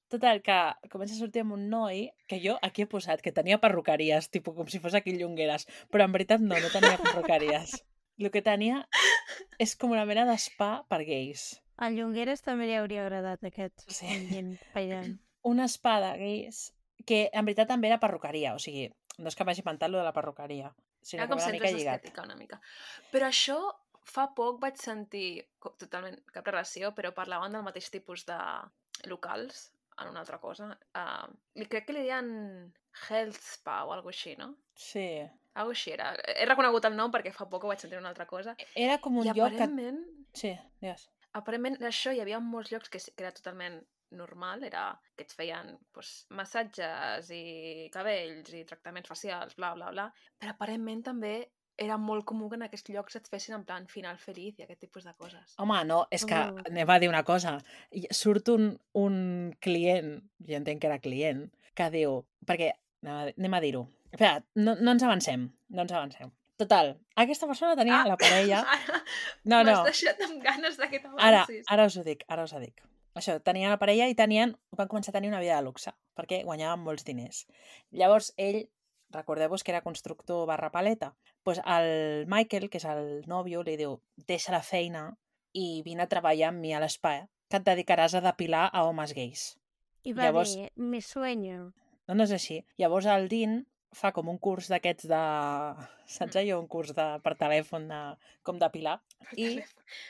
Total, que comença a sortir amb un noi que jo aquí he posat que tenia perruqueries, tipus com si fos aquí Llongueres, però en veritat no, no tenia perruqueries. El que tenia és com una mena d'espa per gais. A Llongueres també li hauria agradat aquest Sí. ambient ballant. Una spa de gais que en veritat també era perruqueria, o sigui, no és que m'hagi inventat lo de la perruqueria, sinó Era que com va una mica centres lligat. d'estètica, una mica. Però això, fa poc vaig sentir, co- totalment cap relació, però parlaven del mateix tipus de locals, en una altra cosa. Uh, li crec que li deien Health Spa o alguna així, no? Sí. Algo així era. He reconegut el nom perquè fa poc ho vaig sentir una altra cosa. Era com un I lloc que... aparentment, Sí, digues. aparentment això hi havia molts llocs que, que era totalment normal, era que et feien pues, massatges i cabells i tractaments facials, bla, bla, bla, però aparentment també era molt comú que en aquests llocs et fessin en plan final feliç i aquest tipus de coses. Home, no, és que Mm. anem a dir una cosa. I Surt un, un client, jo entenc que era client, que diu... Perquè, anem a, anem a dir-ho. Espera, no, no ens avancem, no ens avancem. Total, aquesta persona tenia Ah, la parella... Ara No, no, m'has deixat amb ganes de que ara, t'avancis. ara us ho dic, ara us ho dic. Això, tenien la parella i tenien, van començar a tenir una vida de luxe, perquè guanyaven molts diners. Llavors, ell, recordeu-vos que era constructor barra paleta, doncs el Michael, que és el nòvio, li diu, deixa la feina i vine a treballar amb mi a l'espai, que et dedicaràs a depilar a homes gais. I va Llavors- dir, me sueño. No, no és així. Llavors el Dean fa com un curs d'aquests de... Saps allò? Un curs de... per telèfon de... com depilar. I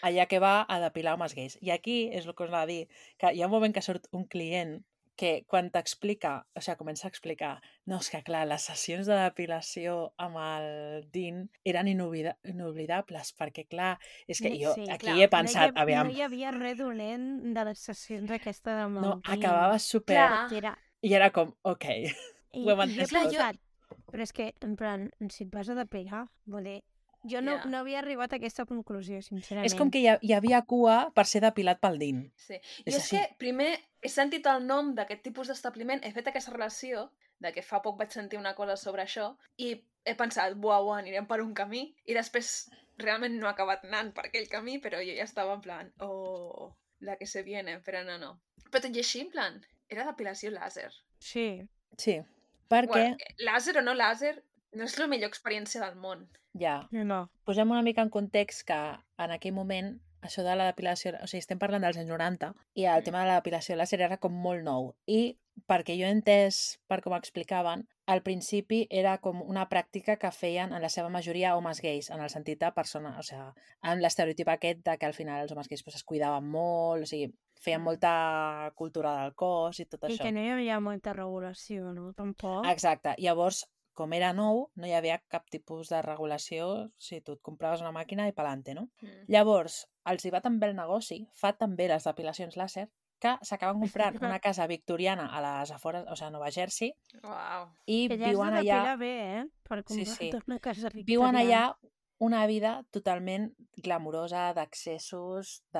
allà que va a depilar homes gais. I aquí és el que us anava a dir, que hi ha un moment que surt un client que quan t'explica, o sigui, comença a explicar, no, és que clar, les sessions de depilació amb el Dean eren inoblida inoblidables, perquè clar, és que jo Sí, aquí clar, he No hi, pensat, ha, aviam, no hi havia res dolent de les sessions aquesta de no, Maldini. acabava super... Clar. Era... I era com, ok, I, ho hem i entès he tot. pensat, però és que, en plan, si et vas a depilar, vull dir, jo no, Ja. no havia arribat a aquesta conclusió, sincerament. és com que hi, ha, hi havia cua per ser depilat pel Dean. Sí. És Jo és així. que primer he sentit el nom d'aquest tipus d'establiment, he fet aquesta relació, de que fa poc vaig sentir una cosa sobre això, i he pensat, buah, buah, anirem per un camí, i després realment no he acabat anant per aquell camí, però jo ja estava en plan, oh, la que se viene, però no, no. Però tot i així, en plan, era depilació làser. Sí. Sí, perquè... Bueno, làser o no làser, no és la millor experiència del món. Ja, No. posem una mica en context que en aquell moment això de la depilació, o sigui, estem parlant dels anys noranta i el Mm. tema de la depilació làser era com molt nou i perquè jo he entès per com explicaven, al principi era com una pràctica que feien en la seva majoria homes gais, en el sentit de persona, o sigui, amb l'estereotip aquest de que al final els homes gais pues, es cuidaven molt, o sigui, feien Mm. molta cultura del cos i tot I això. que no hi havia molta regulació, no? Tampoc. Exacte. Llavors, com era nou, no hi havia cap tipus de regulació si tu et compraves una màquina i pelante, no? Mm. Llavors, els hi va tan bé el negoci, fa tan bé les depilacions làser, que s'acaben comprant una casa victoriana a les afores, o sigui, a Nova Jersey, Uau. i Que ja has viuen de allà, depilar bé, eh? Per Sí, comprar sí. una casa viuen victoriana. allà una vida totalment glamurosa, d'accessos, de...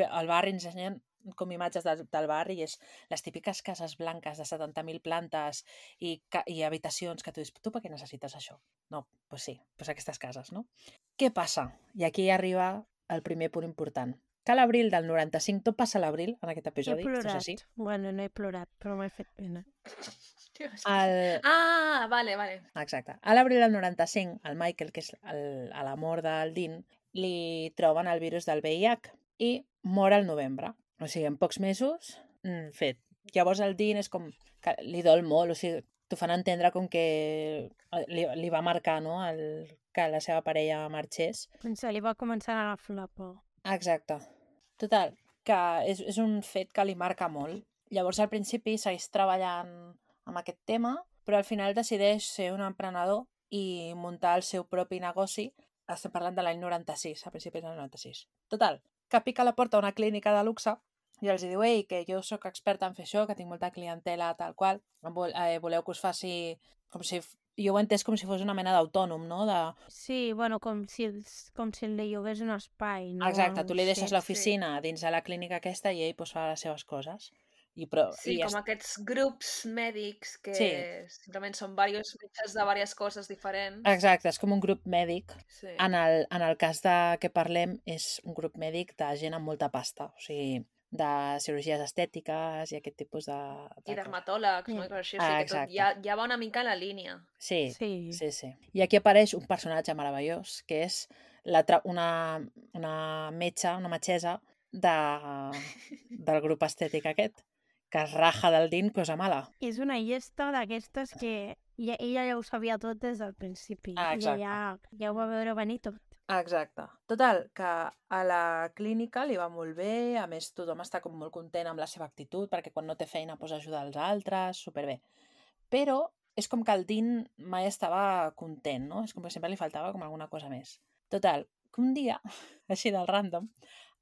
Al barri ens ensenyen com imatges del, del barri i és les típiques cases blanques de setanta mil plantes i, ca i habitacions que tu dius, tu per què necessites això? No, doncs pues sí, pues aquestes cases, no? Què passa? I aquí arriba el primer punt important. Que a l'abril del noranta-cinc, tot passa a l'abril en aquest He episodi, esto és plorat. així. Bueno, no he plorat, però m'he fet pena. Dios. El... Ah, vale, vale. Exacte. A l'abril del noranta-cinc, el Michael, que és el, a l'amor del Dean, li troben el virus del V I H i mor al novembre. O sigui, en pocs mesos, mm, fet. Llavors el Dean és com que li dol molt, o sigui, t'ho fan entendre com que li, li va marcar, no?, el, que la seva parella marxés. Doncs li va començar a agafar la por. Exacte. Total, que és, és un fet que li marca molt. Llavors al principi segueix treballant amb aquest tema, però al final decideix ser un emprenedor i muntar el seu propi negoci. Estem parlant de l'any noranta-sis, a principis del noranta-sis. Total, que pica a la porta a una clínica de luxe i els diu, ei, que jo sóc experta en fer això, que tinc molta clientela, tal qual, vol, eh, voleu que us faci com si... Jo ho he entès com si fos una mena d'autònom, no? De... Sí, bueno, com si, els- com si li llogués un espai, no? Exacte, tu li Sí. deixes l'oficina dins de la clínica aquesta i ell pues, fa les seves coses. I, però, Sí, i com aquests grups mèdics que Sí. simplement són diversos metges de diverses coses diferents. Exacte, és com un grup mèdic. Sí. En el, en el cas de que parlem, és un grup mèdic de gent amb molta pasta, o sigui, de cirurgies estètiques i aquest tipus de... de I dermatòlegs, no? Sí. I coses així, o Ah, sigui que tot exacte. ja, ja va una mica en la línia. Sí, Sí. sí, sí. I aquí apareix un personatge meravellós, que és la tra... una, una metge, una metgessa de... del grup estètic aquest, que es raja del Dean, cosa mala. És una llesta d'aquestes que ja, ella ja ho sabia tot des del principi. Ah, Ella exacte. ja, ja ho va veure venir tot. Exacte. Total, que a la clínica li va molt bé, a més tothom està com molt content amb la seva actitud, perquè quan no té feina pues, ajuda els altres, superbé. Però és com que el Dean mai estava content, no? És com que sempre li faltava com alguna cosa més. Total, que un dia, així del random,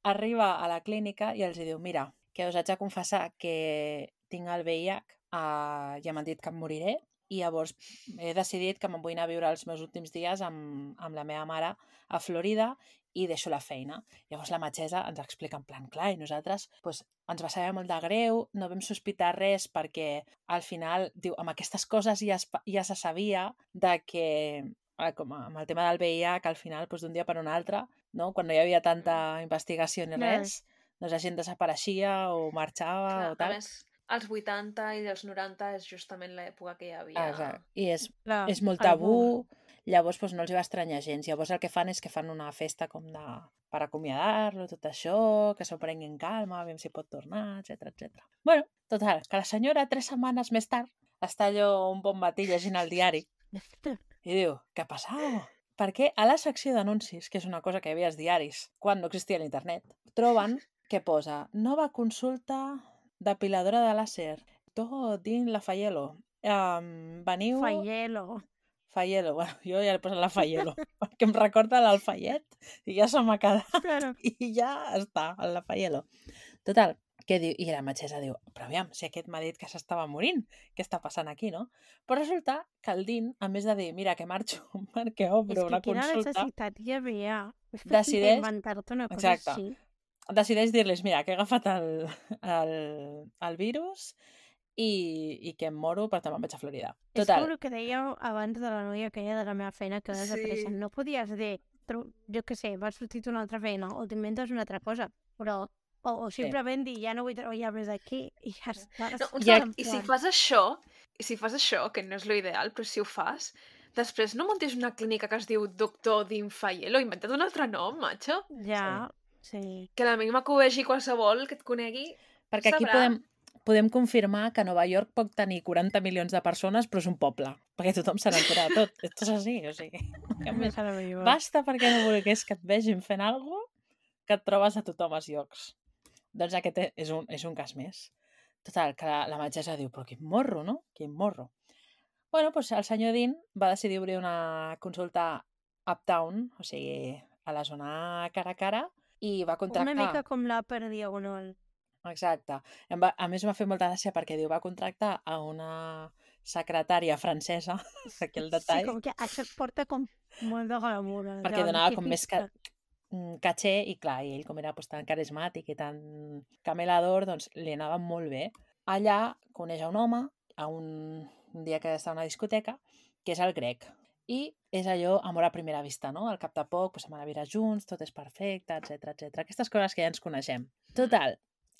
arriba a la clínica i els diu, mira, que us haig de confessar que tinc el V I H uh, i m'han dit que em moriré i llavors he decidit que me'n vull anar a viure els meus últims dies amb, amb la meva mare a Florida i deixo la feina. Llavors la metgessa ens explica en plan, clar, i nosaltres pues, ens va saber molt de greu, no vam sospitar res perquè al final, diu, amb aquestes coses ja es, ja se sabia de que, com amb el tema del V I H, que al final pues, d'un dia per un altre, no? Quan no hi havia tanta investigació ni res, doncs la gent desapareixia o marxava Clar, o tal. A més, als vuitanta i els noranta és justament l'època que hi havia... Exacte. I és, Clar, és molt el tabú, boom. llavors doncs, no els va estranyar gens. Llavors el que fan és que fan una festa com de... per acomiadar-lo, tot això, que s'ho prenguin calma, aviam si pot tornar, etcètera, etcètera. Bueno, total, que la senyora, tres setmanes més tard, està allò un bon matí llegint el diari i diu, què ha passat? Perquè a la secció d'anuncis, que és una cosa que hi havia als diaris quan no existia l'internet, troben que posa nova consulta depiladora de làser, tot dins la Faielo. Um, veniu... Faielo. Faielo, bueno, jo ja he posat la Faielo, perquè em recorda l'Alfayet i ja se m'ha quedat Claro. i ja està, la Faielo. Total, que diu, i la metgessa diu, però aviam, si aquest m'ha dit que s'estava morint, què està passant aquí, no? Però resulta que el Dean, a més de dir, mira, que marxo perquè obro És una que quina consulta, necessitat hi havia? És per Decideix- inventar-te una cosa Exacte. així. decideix dir-les, mira, que he agafat el, el, el virus i, i que em moro, per tant me'n vaig a Florida. És Total, com el que dèieu abans de la noia aquella de la meva feina que Sí. desapareixen. No podies dir, tro- jo què sé, vas sortir una altra feina o t'inventes una altra cosa, però o, o simplement dir, ja no vull treballar més aquí i ja està. No, un I segon, I si fas això, i si fas això, que no és l'ideal, però si ho fas, després no muntis una clínica que es diu Doctor Dinfaielo, inventa't un altre nom, macho. Ja, sí. Que a la mínima que ho vegi qualsevol que et conegui, perquè aquí sabrà. podem, podem confirmar que Nova York pot tenir quaranta milions de persones, però és un poble, perquè tothom se n'entera de tot. Esto és així, o sigui... que més- Meravellós. Basta perquè no volgués que et vegin fent alguna cosa que et trobes a tothom als llocs. Doncs aquest e- és un, és un cas més. Total, que la, la metgessa diu, però quin morro, no? Quin morro. Bueno, doncs el senyor Dean va decidir obrir una consulta uptown, o sigui, a la zona cara a cara, i va contractar... Una mica com la per diagonal. Exacte. Em va, a més m'ha fet molta gràcia perquè diu, va contractar a una secretària francesa, aquí el detall, Sí, com que això porta com molt de glamour. eh, perquè de donava com més ca científica. mm, caché i clar, i ell com era pues, tan carismàtic i tan camelador, doncs li anava molt bé. Allà coneix a un home, a un, un dia que està a una discoteca, que és el Greg. I és allò, amor a primera vista, no? Al cap de poc, pues, anem a viure junts, tot és perfecte, etcètera, etcètera. Aquestes coses que ja ens coneixem. Total,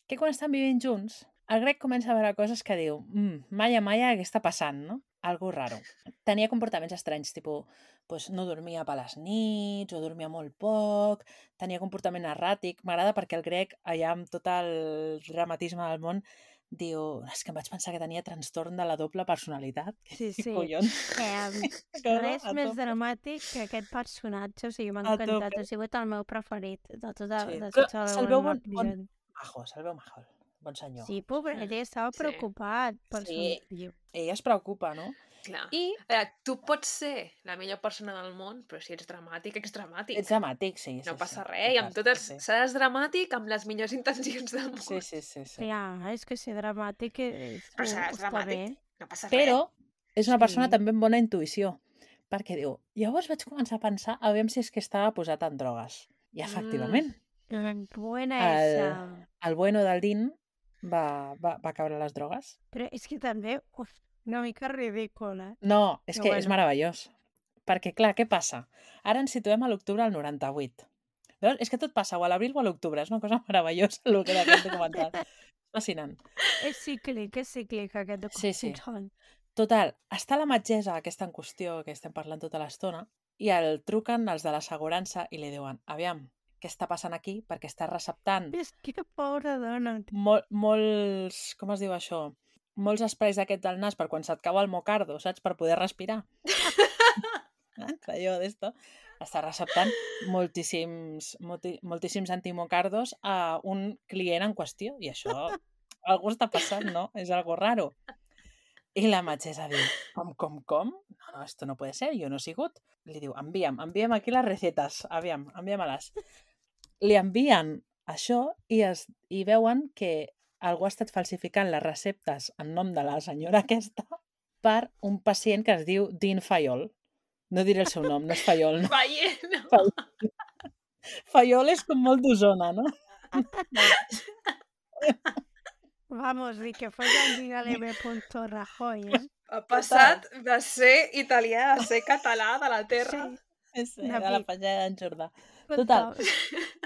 que quan estan vivint junts, el Greg comença a veure coses que diu, mm, Maya, Maya, què està passant, no? Algo raro. Tenia comportaments estranys, tipus, pues, no dormia per les nits, o dormia molt poc, tenia comportament erràtic. M'agrada perquè el Greg, allà amb tot el dramatisme del món, diu, és que em vaig pensar que tenia trastorn de la doble personalitat. Sí, Què sí. collons? Eh, No, res a més tope. dramàtic que aquest personatge, o sigui, m'ha A encantat, tope. ha sigut el meu preferit de tota, Sí. de Però tota se'l la veu bon- episodi. Majo, se'l veu majo, bon senyor. Sí, pobret, ell estava Sí. preocupat per Sí. son fill. Ell es preocupa, no? Clar. I Eh, tu pots ser la millor persona del món, però si ets dramàtic, ets dramàtic. ets dramàtic, sí. sí no passa sí. res, i amb Passa, tot els... sí. seràs dramàtic amb les millors intencions del món. Sí, sí, sí. sí. Ja, és que ser dramàtic és, Però seràs està dramàtic. bé. No passa Però és una persona Sí. també amb bona intuïció, perquè diu, llavors vaig començar a pensar a veure si és que estava posat en drogues. I efectivament, Mm, Buena El- esa. el bueno del Dean va, va, va caure a les drogues. Però és que també, uf, una mica ridícula. No, és Però que és bueno. meravellós. Perquè, clar, què passa? Ara ens situem a l'octubre del noranta-vuit. Veus? És que tot passa o a l'abril o a l'octubre. És una cosa meravellosa el que era aquest documental. Fascinant. És cíclic, és cíclic aquest Sí, sí. documental. Total, està la metgessa aquesta en qüestió que estem parlant tota l'estona i el truquen els de l'assegurança i li diuen, aviam, què està passant aquí? Perquè està receptant És que pobra dona. mol, molts, com es diu això? Molts esprais d'aquest del nas per quan se't cau el mocardo, saps? Per poder respirar. Eh? Allò d'esto. Està receptant moltíssims, molti, moltíssims antimocardos a un client en qüestió. I això, algú està passant, no? És algo raro. I la metgessa diu, com, com, com? No, no, esto no puede ser, jo no he sigut. Li diu, envia'm, envia'm aquí les recetes, aviam, envia-me-les. Li envien això i, es, i veuen que algú ha estat falsificant les receptes en nom de la senyora aquesta per un pacient que es diu Dean Fayol. No diré el seu nom, no és Fayol. No. Veient, no. Fayol. Fayol és com molt d'Osona, no? Vamos, ni que fos el Dígale punto Rajoy, eh? Ha passat de ser italià a ser català de la terra. Sí. Sí, de la pallada d'en Jordà. Total. Total.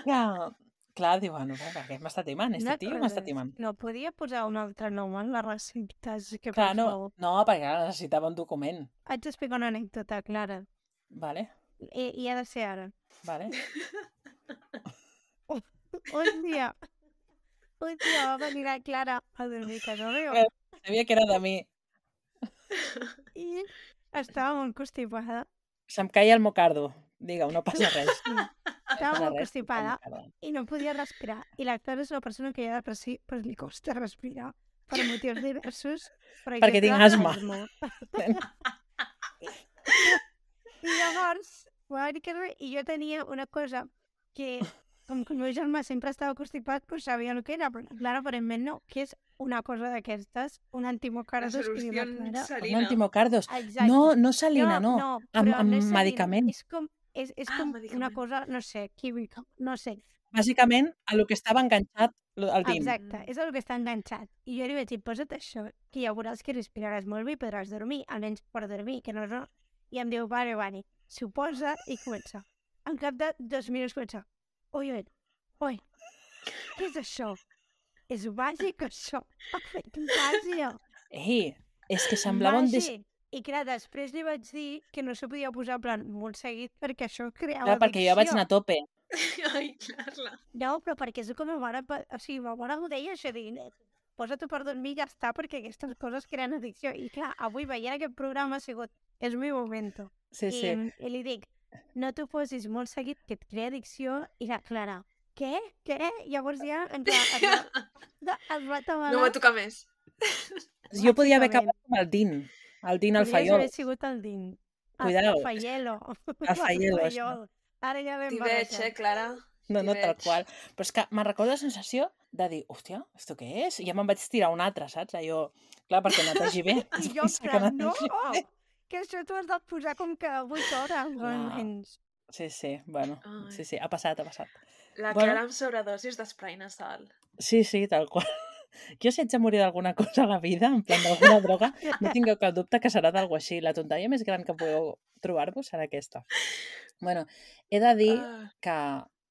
Clar, clar diu, bueno, per què m'està timant? Este tio m'està timant. No podia posar un altre nom en les receptes, que Clar, per no, favor. no, perquè ara necessitava un document. Haig d'explicar una anècdota, Clara. Vale, I, i ha de ser ara. vale. Un dia, un dia va venir la Clara a dormir a casa meva Eh. Sabia que era de mi. i estava molt constipada. Se'm caia el mocardo. Digue-ho, no passa res. Estava passa molt res, constipada el mocardo. i no podia respirar. I la Clara és una persona que ja de per si pues, li costa respirar per motius diversos. Per Perquè tinc exemple, asma. I llavors, va venir a casa meva i jo tenia una cosa que, com que el meu germà sempre estava constipat, pues sabia el que era, però la Clara aparentment no, que és una cosa d'aquestes, un La antimocardos que diu solució la Clara. Un salina. antimocardos. Exacte. No, no salina, no. no, Amb, però amb no és salina, medicament. És com, és, és Ah, com una medicament. cosa, no sé, química, no sé. Bàsicament, a lo que estava enganxat el dim. Exacte, és el que està enganxat. I jo li vaig dir, posa't això, que ja veuràs que respiraràs molt bé i podràs dormir, almenys per dormir, que no és... No. I em diu, vale, vale. S'ho posa i comença. En cap de dos minuts comença. Oi, oi, oi, què és això? És màgic, això? Ha fet màgia. Ei, és que semblava un... Des... Màgic. I clar, després li vaig dir que no s'ho podia posar en plan molt seguit perquè això creava Clar, perquè jo vaig anar a tope. Ai, Carla. No, però perquè és com a mare... O sigui, ma mare m'ho deia això, dir, posa-t'ho per dormir i ja està, perquè aquestes coses creen addicció. I clar, avui veient aquest programa ha sigut, és mi momento. Sí, sí. I, I li dic, no t'ho posis molt seguit, que et crea addicció, i la Clara, què? Què? Llavors ja ens va, es va, es va atabalar. No va tocar més. Jo podia haver acabat amb el din. El din al Podries Fayol. haver sigut el din. Cuidao. El Fayelo. El Fayelo, El això. Fayol. Ara ja l'hem T'hi veig, eh, Clara? No, no, T'hi tal veig. qual. Però és que me'n recordo la sensació de dir, hòstia, esto què és? I ja me'n vaig tirar un altre, saps? Allò, clar, perquè netegi bé. I jo, en plan, no, que això t'ho has de posar com que vuit hores. Clar. almenys. Sí, sí, bueno, Ai. sí, sí, ha passat, ha passat. La Bueno. Clara amb sobredosis d'esprai nasal. Sí, sí, tal qual. Jo si haig de morir d'alguna cosa a la vida, en plan d'alguna droga, no tingueu cap dubte que serà d'algú així. La tonteria més gran que podeu trobar-vos serà aquesta. Bueno, he de dir Ah, que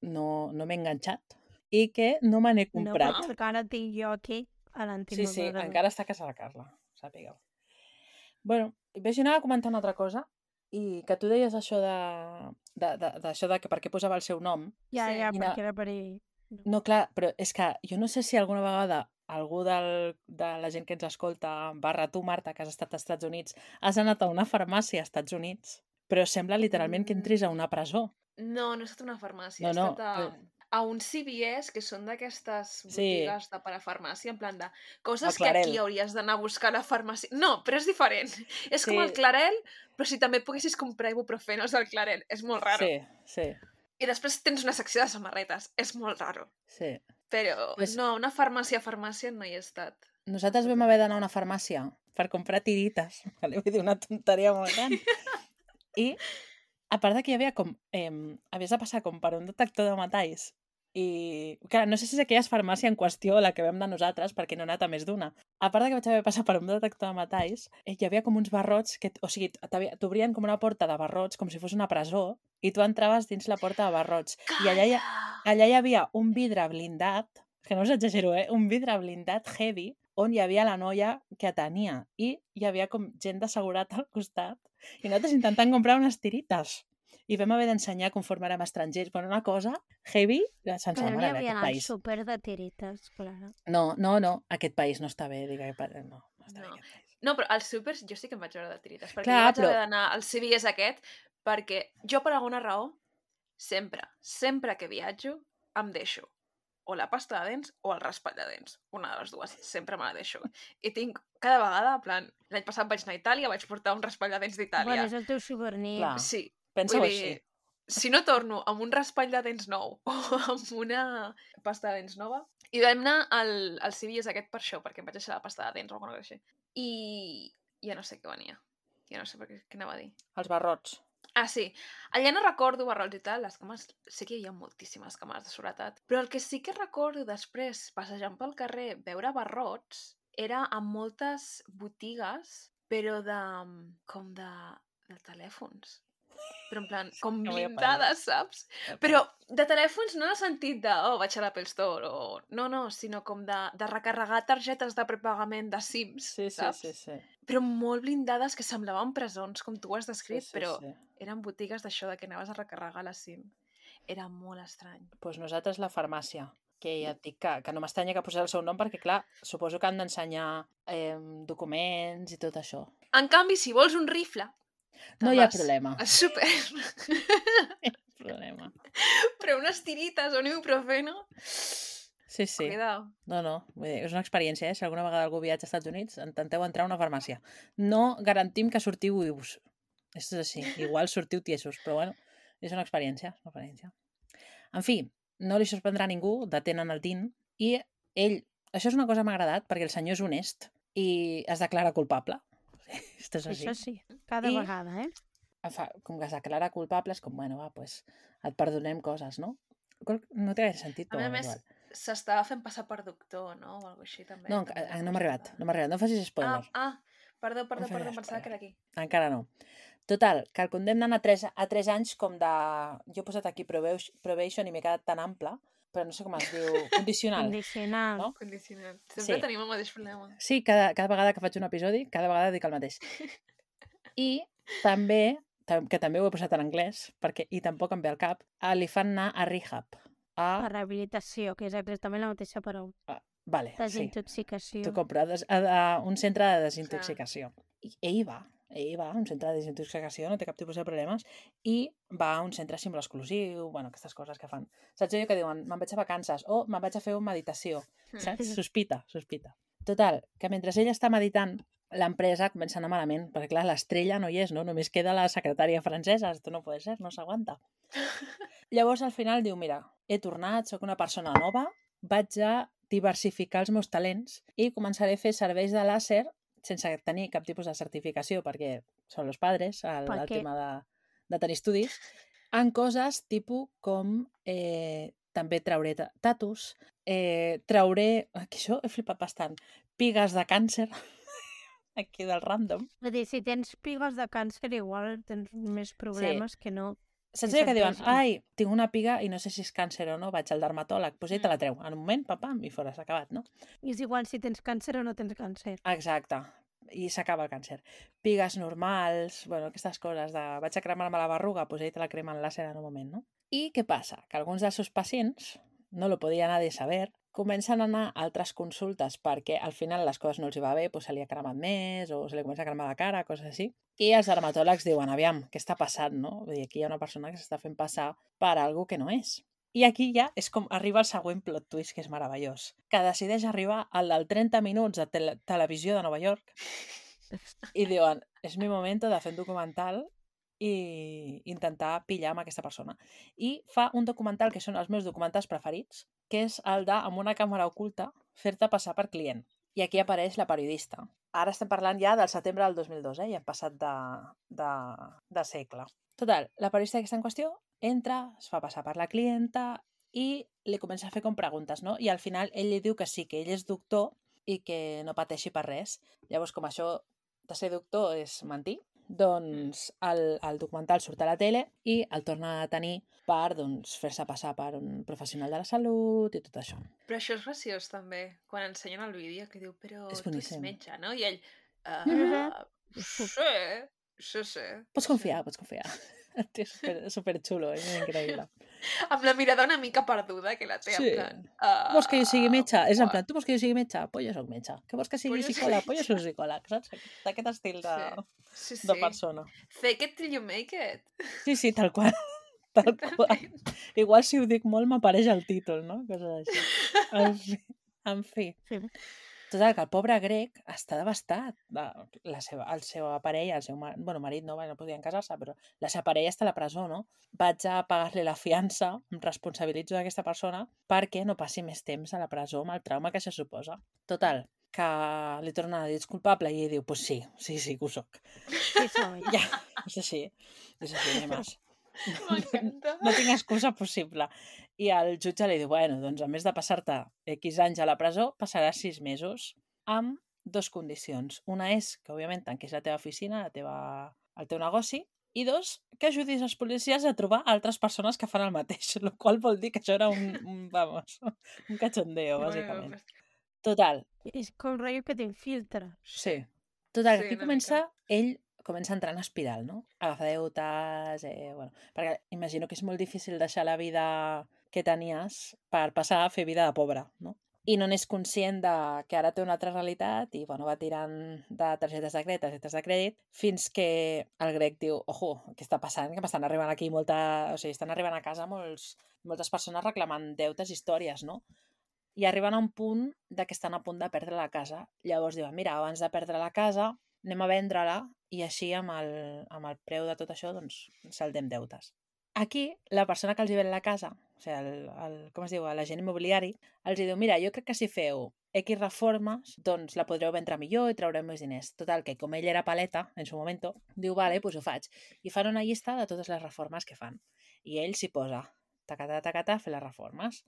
no, no m'he enganxat i que no me n'he No, comprat. però encara tinc jo aquí a Sí, l'antic. sí, encara està a casa de Carla, sàpigueu. Bueno, vaig anar a comentar una altra cosa i que tu deies això de, de, de, d'això de que per què posava el seu nom. Ja, Sí. ja, Quina- perquè era per ell. No, clar, però és que jo no sé si alguna vegada algú del, de la gent que ens escolta, barra tu, Marta, que has estat als Estats Units, has anat a una farmàcia als Estats Units, però sembla literalment que entris a una presó. no, no he estat a una farmàcia. No, he no, estat a, però- a un C V S, que són d'aquestes Sí. botigues de parafarmàcia, en plan de coses El que Clarel. aquí hauries d'anar a buscar a la farmàcia. No, però és diferent. És com Sí. el Clarel, però si també poguessis comprar ibuprofenos al Clarel. És molt raro. Sí, sí, I després tens una secció de samarretes. És molt raro. sí. Però Pues- no, una farmàcia, farmàcia no hi he estat. Nosaltres vam haver d'anar a una farmàcia per comprar tirites. Vale? Vull dir, una tonteria molt gran. I, a part de que hi havia com... Eh, havies de passar com per un detector de metalls. I, clar, no sé si és aquella farmàcia en qüestió la que vam anar nosaltres, perquè no he anat a més d'una. A part de que vaig haver de passar per un detector de metalls, eh, hi havia com uns barrots, que, o sigui, t'havia- t'obrien com una porta de barrots, com si fos una presó, i tu entraves dins la porta de barrots. I allà hi, allà hi havia un vidre blindat, que no us exagero, eh? Un vidre blindat heavy, on hi havia la noia que atenia. I hi havia com gent de seguretat al costat. I nosaltres intentant comprar unes tirites. I vam haver d'ensenyar conforme érem estrangers. Bueno, una cosa heavy, sense Però la n'hi mare havia d'aquest al país. súper de tirites, Clara. No, no, no, aquest país no està bé, digue, no, no està No. bé aquest país. No, però als súpers jo sí que em vaig veure de tirites, perquè Clar, jo vaig però- haver d'anar al C V S aquest, perquè jo per alguna raó, sempre, sempre que viatjo, em deixo o la pasta de dents o el raspall de dents. Una de les dues, sempre me la deixo. I tinc cada vegada, en plan, l'any passat vaig anar a Itàlia, vaig portar un raspall de dents Bueno, d'Itàlia. és el teu souvenir. Clar. Sí, Pensa-ho vull així. dir, si no torno amb un raspall de dents nou o amb una pasta de dents nova, i vam anar al, al C V S aquest per això, perquè em vaig deixar la pasta de dents o alguna cosa així. I ja no sé què venia. Ja no sé per què, què anava a dir. Els barrots. Ah, sí. Allà no recordo barrots i tal, les cames... Sí que hi havia moltíssimes cames de seguretat. Però el que sí que recordo després, passejant pel carrer, veure barrots, era en moltes botigues, però de... com de... de telèfons. Però en plan, com No m'hi he blindades, saps? Però de telèfons no en el sentit de, oh, vaig a l'Apple Store, o... No, no, sinó com de, de recarregar targetes de prepagament de Sims, Sí, sí, saps? sí, sí. Però molt blindades que semblaven presons, com tu ho has descrit, Sí, sí, però sí. eren botigues d'això, de que anaves a recarregar la SIM. Era molt estrany. Doncs pues nosaltres la farmàcia, que ja et dic que, que no m'estranya que posés el seu nom perquè, clar, suposo que han d'ensenyar eh, documents i tot això. En canvi, si vols un rifle... No te'n hi ha vas problema. al súper. problema. Però unes tirites o un ibuprofeno... Sí, sí. Cuidado. No, no, vull dir, és una experiència, eh? Si alguna vegada algú viatja als Estats Units, intenteu entrar a una farmàcia. No garantim que sortiu vius. Això és així. Igual sortiu tiesos, però bueno, és una experiència, és una experiència. En fi, no li sorprendrà a ningú, detenen el Dean, i ell, això és una cosa que m'ha agradat, perquè el senyor és honest i es declara culpable. Esto és així. Això sí, cada I- vegada, eh? Fa, com que es declara culpable, és com, bueno, va, pues, et perdonem coses, no? Qual- No té gaire sentit, A però més a bueno, més, igual. s'estava fent passar per doctor, no? O alguna així, també. No, també enca- era no m'ha arribat, possible. no m'ha arribat. No facis spoiler. Ah, ah, perdó, perdó, No facis perdó, pensava spoiler. que era aquí. Encara no. Total, que el condemnen a tres, a tres anys com de... Jo he posat aquí probation, probation i m'he quedat tan ample, però no sé com es diu, condicional. Condicional. No? Condicional. Sempre Sí. tenim el mateix problema. Sí, cada, cada vegada que faig un episodi, cada vegada dic el mateix. I també, tam- que també ho he posat en anglès, perquè i tampoc em ve al cap, a, li fan anar a rehab. A... La rehabilitació, que és exactament la mateixa paraula. a vale, sí. Desintoxicació. T'ho compro. A, des- a, a un centre de desintoxicació. I ell va, ell va a un centre de desintoxicació, no té cap tipus de problemes, i va a un centre símbol exclusiu, bueno, aquestes coses que fan. Saps allò que diuen, me'n vaig a vacances, o me'n vaig a fer una meditació, saps? Sí. Sospita, sospita. Total, que mentre ell està meditant, l'empresa comença a anar malament, perquè clar, l'estrella no hi és, no? Només queda la secretària francesa, esto no puede ser, no s'aguanta. Llavors, al final, diu, mira, he tornat, sóc una persona nova, vaig a diversificar els meus talents i començaré a fer serveis de làser sense tenir cap tipus de certificació, perquè són els padres, el, el Perquè- tema de, de tenir estudis, en coses tipus com eh, també trauré ta- tatus, eh, trauré, que això he flipat bastant, pigues de càncer, aquí del random. Vull dir, si tens pigues de càncer, igual tens més problemes que no. Saps Si allò que se't diuen, vegi. ai, tinc una piga i no sé si és càncer o no, vaig al dermatòleg, doncs ell te la treu. En un moment, pam, pam, i fora, s'ha acabat, no? I és igual si tens càncer o no tens càncer. Exacte. I s'acaba el càncer. Pigues normals, bueno, aquestes coses de vaig a cremar-me la berruga, doncs ell te la crema en làser en un moment, no? I què passa? Que alguns dels seus pacients, no lo podia nadie saber, comencen a anar a altres consultes perquè al final les coses no els hi va bé, doncs se li ha cremat més o se li comença a cremar la cara, coses així. I els dermatòlegs diuen, aviam, què està passant, no? Vull dir, aquí hi ha una persona que s'està fent passar per algo que no és. I aquí ja és com arriba el següent plot twist, que és meravellós, que decideix arribar al del trenta minuts de tele televisió de Nova York i diuen, és mi momento de fer un documental i intentar pillar amb aquesta persona. I fa un documental que són els meus documentals preferits, que és el de, amb una càmera oculta, fer-te passar per client. I aquí apareix la periodista. Ara estem parlant ja del setembre del dos mil dos, eh? Ja hem passat de, de, de segle. Total, la periodista que està en qüestió entra, es fa passar per la clienta i li comença a fer com preguntes, no? I al final ell li diu que sí, que ell és doctor i que no pateixi per res. Llavors, com això de ser doctor és mentir, doncs el, el documental surt a la tele i el torna a tenir per doncs, fer-se passar per un professional de la salut i tot això. Però això és graciós, també, quan ensenyen el vídeo, que diu, però És tu ets boníssim. metge, no? I ell, uh, Mhm. sí, sí, sí. Pots confiar, pots confiar. És super, super xulo, és increïble. Amb la mirada una mica perduda que la té, Sí. en plan... Uh, Vols que jo sigui metge? És en plan, tu vols que jo sigui metge? Pues jo soc metge. Que vols que sigui Pues jo psicòleg? soc- Pues jo soc psicòleg, saps? D'aquest estil de, Sí, sí. de persona. Fake it till you make it. Sí, sí, tal qual. Tal qual. Igual si ho dic molt m'apareix el títol, no? Coses així. En fi. En fi. Sí. Total, que el pobre grec està devastat. La, la seva, el seu parella, el seu mar... bueno, marit no, no podien casar-se, però la seva parella està a la presó, no? Vaig a pagar-li la fiança, em responsabilitzo d'aquesta persona perquè no passi més temps a la presó amb el trauma que se suposa. Total, que li torna a dir ets culpable i ell diu, pues sí, sí, sí que ho soc. Sí, soy. Ja, és així, és així, no hi ha més. M'encanta. No tinc excusa possible. I el jutge li diu, bueno, doncs a més de passar-te X anys a la presó, passaràs sis mesos amb dos condicions. Una és que, òbviament, tanquis la teva oficina, la teva, el teu negoci, i dos, que ajudis els policies a trobar altres persones que fan el mateix, el qual vol dir que això era un, un vamos, un cachondeo, bàsicament. Total. És com rotllo que t'infiltra. Sí. Total, Sí, aquí una comença, ell comença a entrar en espiral, no? Agafar deutes, eh, bueno, perquè imagino que és molt difícil deixar la vida que tenies per passar a fer vida de pobre, no? I no n'és conscient de que ara té una altra realitat i, bueno, va tirant de targetes de crèdit, targetes de crèdit, fins que el grec diu, ojo, què està passant? Que m'estan arribant aquí molta... O sigui, estan arribant a casa molts, moltes persones reclamant deutes i històries, no? I arriben a un punt de que estan a punt de perdre la casa. Llavors diuen, mira, abans de perdre la casa anem a vendre-la i així amb el, amb el preu de tot això doncs saldem deutes. Aquí, la persona que els hi ven la casa, o sigui, el, el, com es diu, l'agent immobiliari, els hi diu, mira, jo crec que si feu X reformes, doncs la podreu vendre millor i traureu més diners. Total, que com ell era paleta, en su moment, diu, vale, doncs ho faig. I fan una llista de totes les reformes que fan. I ell s'hi posa, tacatà, tacatà, a fer les reformes.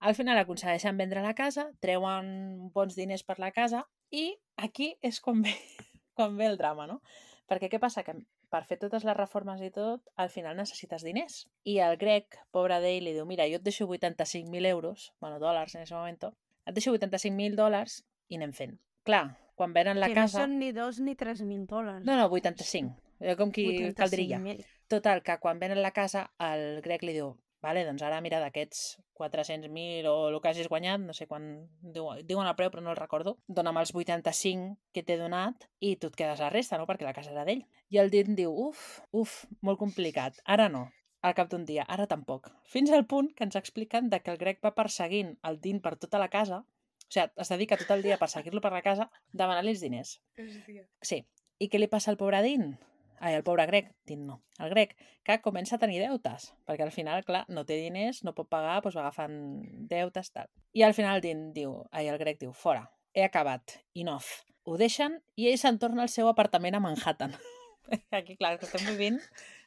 Al final aconsegueixen vendre la casa, treuen bons diners per la casa i aquí és quan ve, quan ve el drama, no? Perquè què passa? Que per fer totes les reformes i tot, al final necessites diners. I el grec, pobre d'ell, li diu, mira, jo et deixo vuitanta-cinc mil euros, bueno, dòlars en aquest moment, et deixo vuitanta-cinc mil dòlars i anem fent. Clar, quan venen la que casa... no són ni dos ni tres mil dòlars. No, no, vuitanta-cinc. Com qui caldria. vuitanta-cinc mil. Total, que quan venen la casa, el grec li diu, vale, doncs ara mira d'aquests quatre-cents mil o el que hagis guanyat, no sé quan diuen el preu però no el recordo, dona'm els vuitanta-cinc que t'he donat i tu et quedes la resta, no? Perquè la casa era d'ell. I el dit diu, uf, uf, molt complicat, ara no, al cap d'un dia, ara tampoc. Fins al punt que ens expliquen de que el grec va perseguint el Dean per tota la casa, o sigui, es dedica tot el dia a perseguir-lo per la casa, demanant-li els diners. Hòstia. Sí. I què li passa al pobre Dean? Ai, el pobre grec, Dean no. El grec, que comença a tenir deutes, perquè al final, clar, no té diners, no pot pagar, doncs va agafant deutes, tal. I al final el Dean diu, ai, el grec diu, fora, he acabat, enough. Ho deixen i ell se'n torna al seu apartament a Manhattan. Aquí, clar, que estem vivint...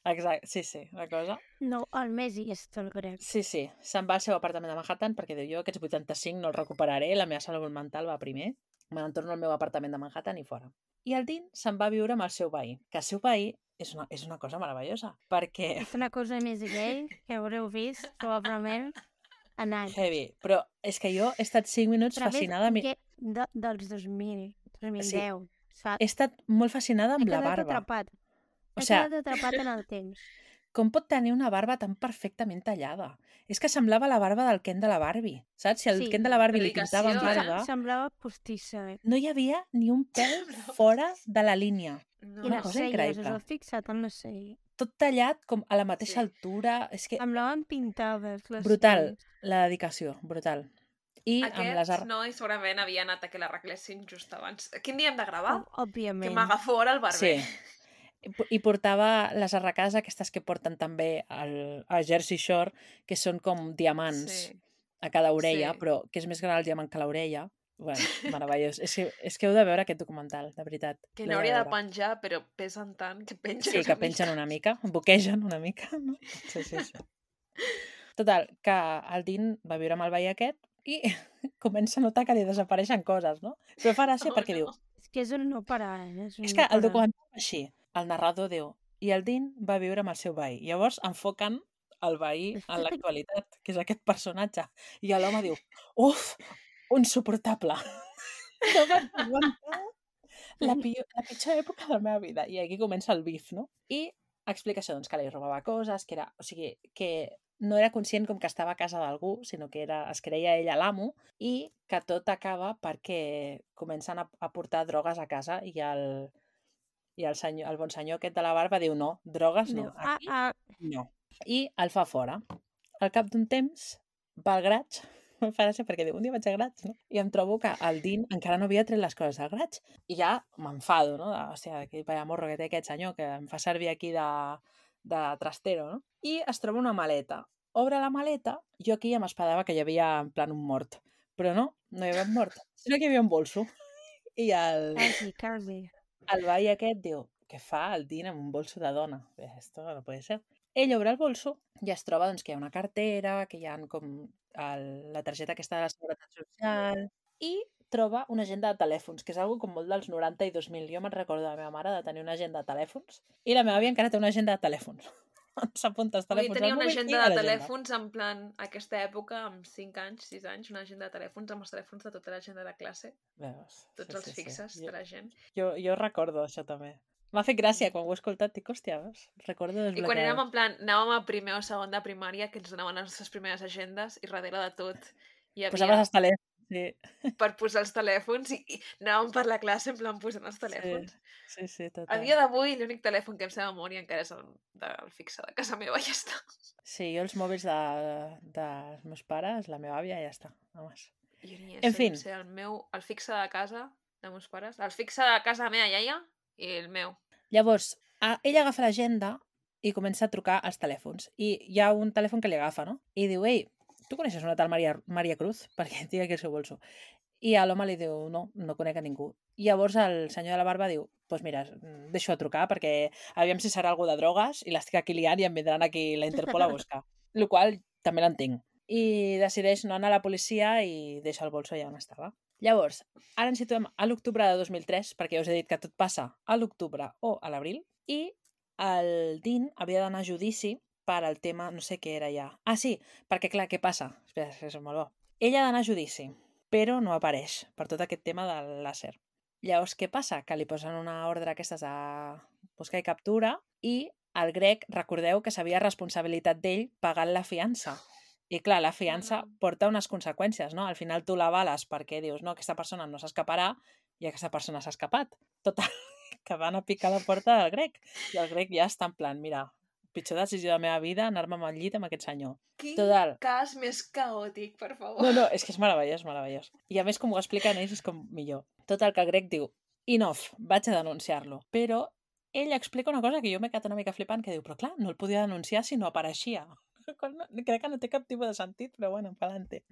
Exacte, sí, sí, la cosa. No, al mes i és el grec. Sí, sí, se'n va al seu apartament a Manhattan perquè diu, jo aquests vuitanta-cinc no els recuperaré, la meva salut mental va primer, me n'entorno al meu apartament de Manhattan i fora. I el Dean se'n va viure amb el seu veí, que el seu veí és una, és una cosa meravellosa, perquè... És una cosa més gay que haureu vist, probablement, en anys. Heavy, però és que jo he estat cinc minuts Però fascinada... ves, que de, dels dos mil, dos mil deu, Sí. saps? He estat molt fascinada amb He la quedat barba. atrapat. O He sea, quedat atrapat en el temps. com pot tenir una barba tan perfectament tallada? És que semblava la barba del Ken de la Barbie, saps? Si el Sí. Ken de la Barbie li Dedicació, pintava amb eh? barba, Semblava postissa. Eh? no hi havia ni un pèl fora de la línia. No. I Una les cosa celles, increïble. us heu fixat en les celles? Tot tallat com a la mateixa Sí. altura. És que Semblaven pintades, les brutal, celles. la dedicació, brutal. I amb les... Aquests ar- noi segurament havia anat a que l'arreglessin just abans. Quin dia hem de gravar? Ob- Òbviament. Que m'agafo ara el barber. Sí. I- I portava les arracades aquestes que porten també al, al Jersey Shore, que són com diamants Sí. a cada orella, Sí. però que és més gran el diamant que l'orella. Bueno, meravellós. és, que, és que heu de veure aquest documental, de veritat. Que L'heu no hauria de veure. penjar, però pesen tant que pengen Sí, una que mica. pengen una mica, boquegen una mica, no? Sí, sí, sí. Total, que el Dean va viure amb el veí aquest i comença a notar que li desapareixen coses, no? Però fa gràcia Oh, perquè no. diu, És que és un no parar, eh? És, un és no que el parar. documental va així, el narrador diu, i el Dean va viure amb el seu veí. Llavors enfoquen el veí en l'actualitat, que és aquest personatge. I l'home diu, uf, insuportable. No vaig aguantar la, pitjor, la pitjor època de la meva vida. I aquí comença el bif, no? I explica això, doncs, que li robava coses, que era, o sigui, que no era conscient com que estava a casa d'algú, sinó que era, es creia ella l'amo, i que tot acaba perquè comencen a, a portar drogues a casa i el, i el, senyor, el bon senyor aquest de la barba diu no, drogues no, Diu, ah, aquí ah, no. I el fa fora. Al cap d'un temps va al garatge Em fa gràcia perquè diu, un dia vaig a Grats, no? I em trobo que el Dean encara no havia tret les coses del Grats. I ja m'enfado, no? De, hòstia, que vaya morro que té aquest senyor que em fa servir aquí de, de trastero, no? I es troba una maleta. Obre la maleta, jo aquí ja m'espadava que hi havia en plan un mort. Però no, no hi havia un mort, sinó que hi havia un bolso. I el, Quasi, quasi. el veí aquest diu, què fa el Dean amb un bolso de dona? Bé, esto no puede ser. Ell obre el bolso i es troba doncs, que hi ha una cartera, que hi ha com el, la targeta aquesta de la Seguretat Social i troba una agenda de telèfons, que és algo com molt dels noranta i dos mil. Jo me'n recordo de la meva mare de tenir una agenda de telèfons i la meva àvia encara té una agenda de telèfons. S'apunta els Vull dir, telèfons tenia al una mòbil i agenda a de l'agenda. telèfons en plan, aquesta època, amb cinc anys, sis anys, una agenda de telèfons amb els telèfons de tota la gent de la classe, Veus? tots Sí, els sí, sí. fixes Jo, de la gent. jo, jo recordo això també. M'ha fet gràcia quan ho he escoltat, dic, hòstia, veus? Recordo I quan érem desbloqueades. en plan, anàvem a primer o segon de primària, que ens donaven les nostres primeres agendes, i darrere de tot hi Posaves havia els telèfons, sí. per posar els telèfons i, i anàvem per la classe en plan posant els telèfons. Sí, sí, A total. dia d'avui l'únic telèfon que em sé de memòria encara és el, del fixe de casa meva i ja està. Sí, jo els mòbils de, dels meus pares, la meva àvia, ja està. Només. Jo ni En sé, fin. em sé el meu, el fixe de casa de meus pares, el fixe de casa de la meva iaia i el meu. Llavors, a, ella agafa l'agenda i comença a trucar als telèfons. I hi ha un telèfon que li agafa, no? I diu, ei, tu coneixes una tal Maria, Maria Cruz? Perquè té aquí el seu bolso. I a l'home li diu, no, no conec a ningú. I llavors el senyor de la barba diu, doncs pues mira, deixo de trucar perquè aviam si serà algú de drogues i l'estic aquí liant i em vindran aquí la Interpol a buscar. El qual també l'entenc. I decideix no anar a la policia i deixa el bolso allà on estava. Llavors, ara ens situem a l'octubre de dos mil tres, perquè ja us he dit que tot passa a l'octubre o a l'abril, i el Dean havia d'anar a judici per al tema, no sé què era ja. Ah, sí, perquè clar, què passa? Espera, que és molt bo. Ella ha d'anar a judici, però no apareix per tot aquest tema del làser. Llavors, què passa? Que li posen una ordre aquestes de buscar i captura i el Greg, recordeu que s'havia responsabilitat d'ell pagant la fiança. I clar, la fiança Mm. porta unes conseqüències, no? Al final tu la vales perquè dius, no, aquesta persona no s'escaparà i aquesta persona s'ha escapat. Total, que van a picar la porta del Greg. I el Greg ja està en plan, mira, pitjor decisió de la meva vida, anar-me al llit amb aquest senyor. Quin Total. cas més caòtic, per favor. No, no, és que és meravellós, meravellós. I a més, com ho expliquen ells, és com millor. Total, que el Greg diu, enough, vaig a denunciar-lo. Però ell explica una cosa que jo m'he quedat una mica flipant, que diu, però clar, no el podia denunciar si no apareixia. Crec que no té cap tipus de sentit, però bueno, pa'lante.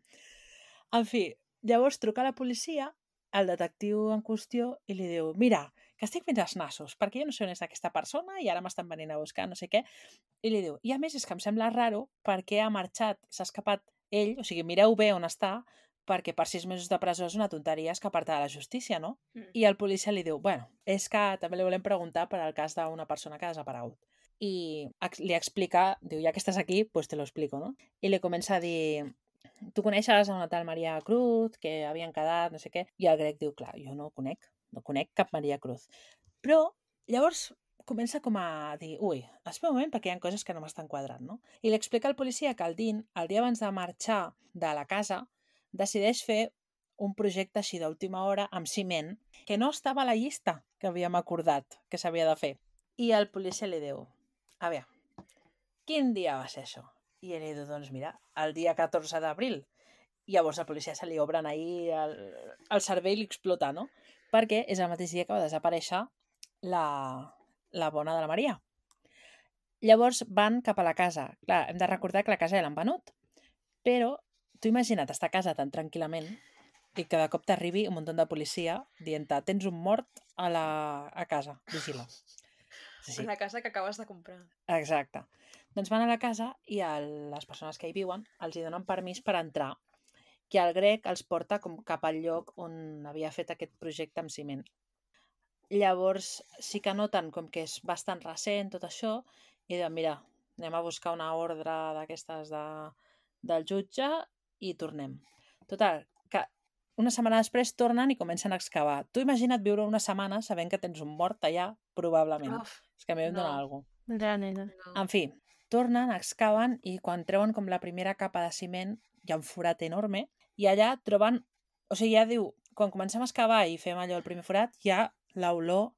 En fi, llavors truca a la policia, el detectiu en qüestió, i li diu, mira, que estic fins als nassos, perquè jo no sé on és aquesta persona i ara m'estan venint a buscar, no sé què. I li diu, i a més és que em sembla raro perquè ha marxat, s'ha escapat ell, o sigui, mireu bé on està, perquè per sis mesos de presó és una tonteria escapar-te de la justícia, no? Mm. I el policia li diu, bueno, és que també li volem preguntar per al cas d'una persona que ha desaparegut. I li explica, diu, ja que estàs aquí, pues te lo explico, no? I li comença a dir, tu coneixes a una tal Maria Cruz, que havien quedat, no sé què, i el Greg diu, clar, jo no conec, no conec cap Maria Cruz. Però llavors comença com a dir, ui, espera un moment perquè hi ha coses que no m'estan quadrant, no? I li explica al policia que el Dean, el dia abans de marxar de la casa, decideix fer un projecte així d'última hora amb ciment que no estava a la llista que havíem acordat que s'havia de fer. I el policia li diu, a veure, quin dia va ser això? I ell li diu, doncs mira, el dia catorze d'abril. I llavors la policia se li obren ahir el, el cervell i li explota, no? Perquè és el mateix dia que va desaparèixer la, la bona de la Maria. Llavors van cap a la casa. Clar, hem de recordar que la casa ja l'han venut, però tu imagina't estar a casa tan tranquil·lament i que de cop t'arribi un munt de policia dient-te, tens un mort a, la, a casa, vigila. Sí. En la casa que acabes de comprar. Exacte. Doncs van a la casa i el, les persones que hi viuen els hi donen permís per entrar, que el Greg els porta com cap al lloc on havia fet aquest projecte amb ciment. Llavors sí que noten com que és bastant recent tot això i diuen, mira, anem a buscar una ordre d'aquestes de, del jutge i tornem. Total, que una setmana després tornen i comencen a excavar. Tu imagina't viure una setmana sabent que tens un mort allà, probablement. Uf, és que a mi em no. dona alguna cosa. Realment. no. En fi, tornen, excaven i quan treuen com la primera capa de ciment hi ha un forat enorme i allà troben, o sigui, ja diu, quan comencem a excavar i fem allò el primer forat, ja l'olor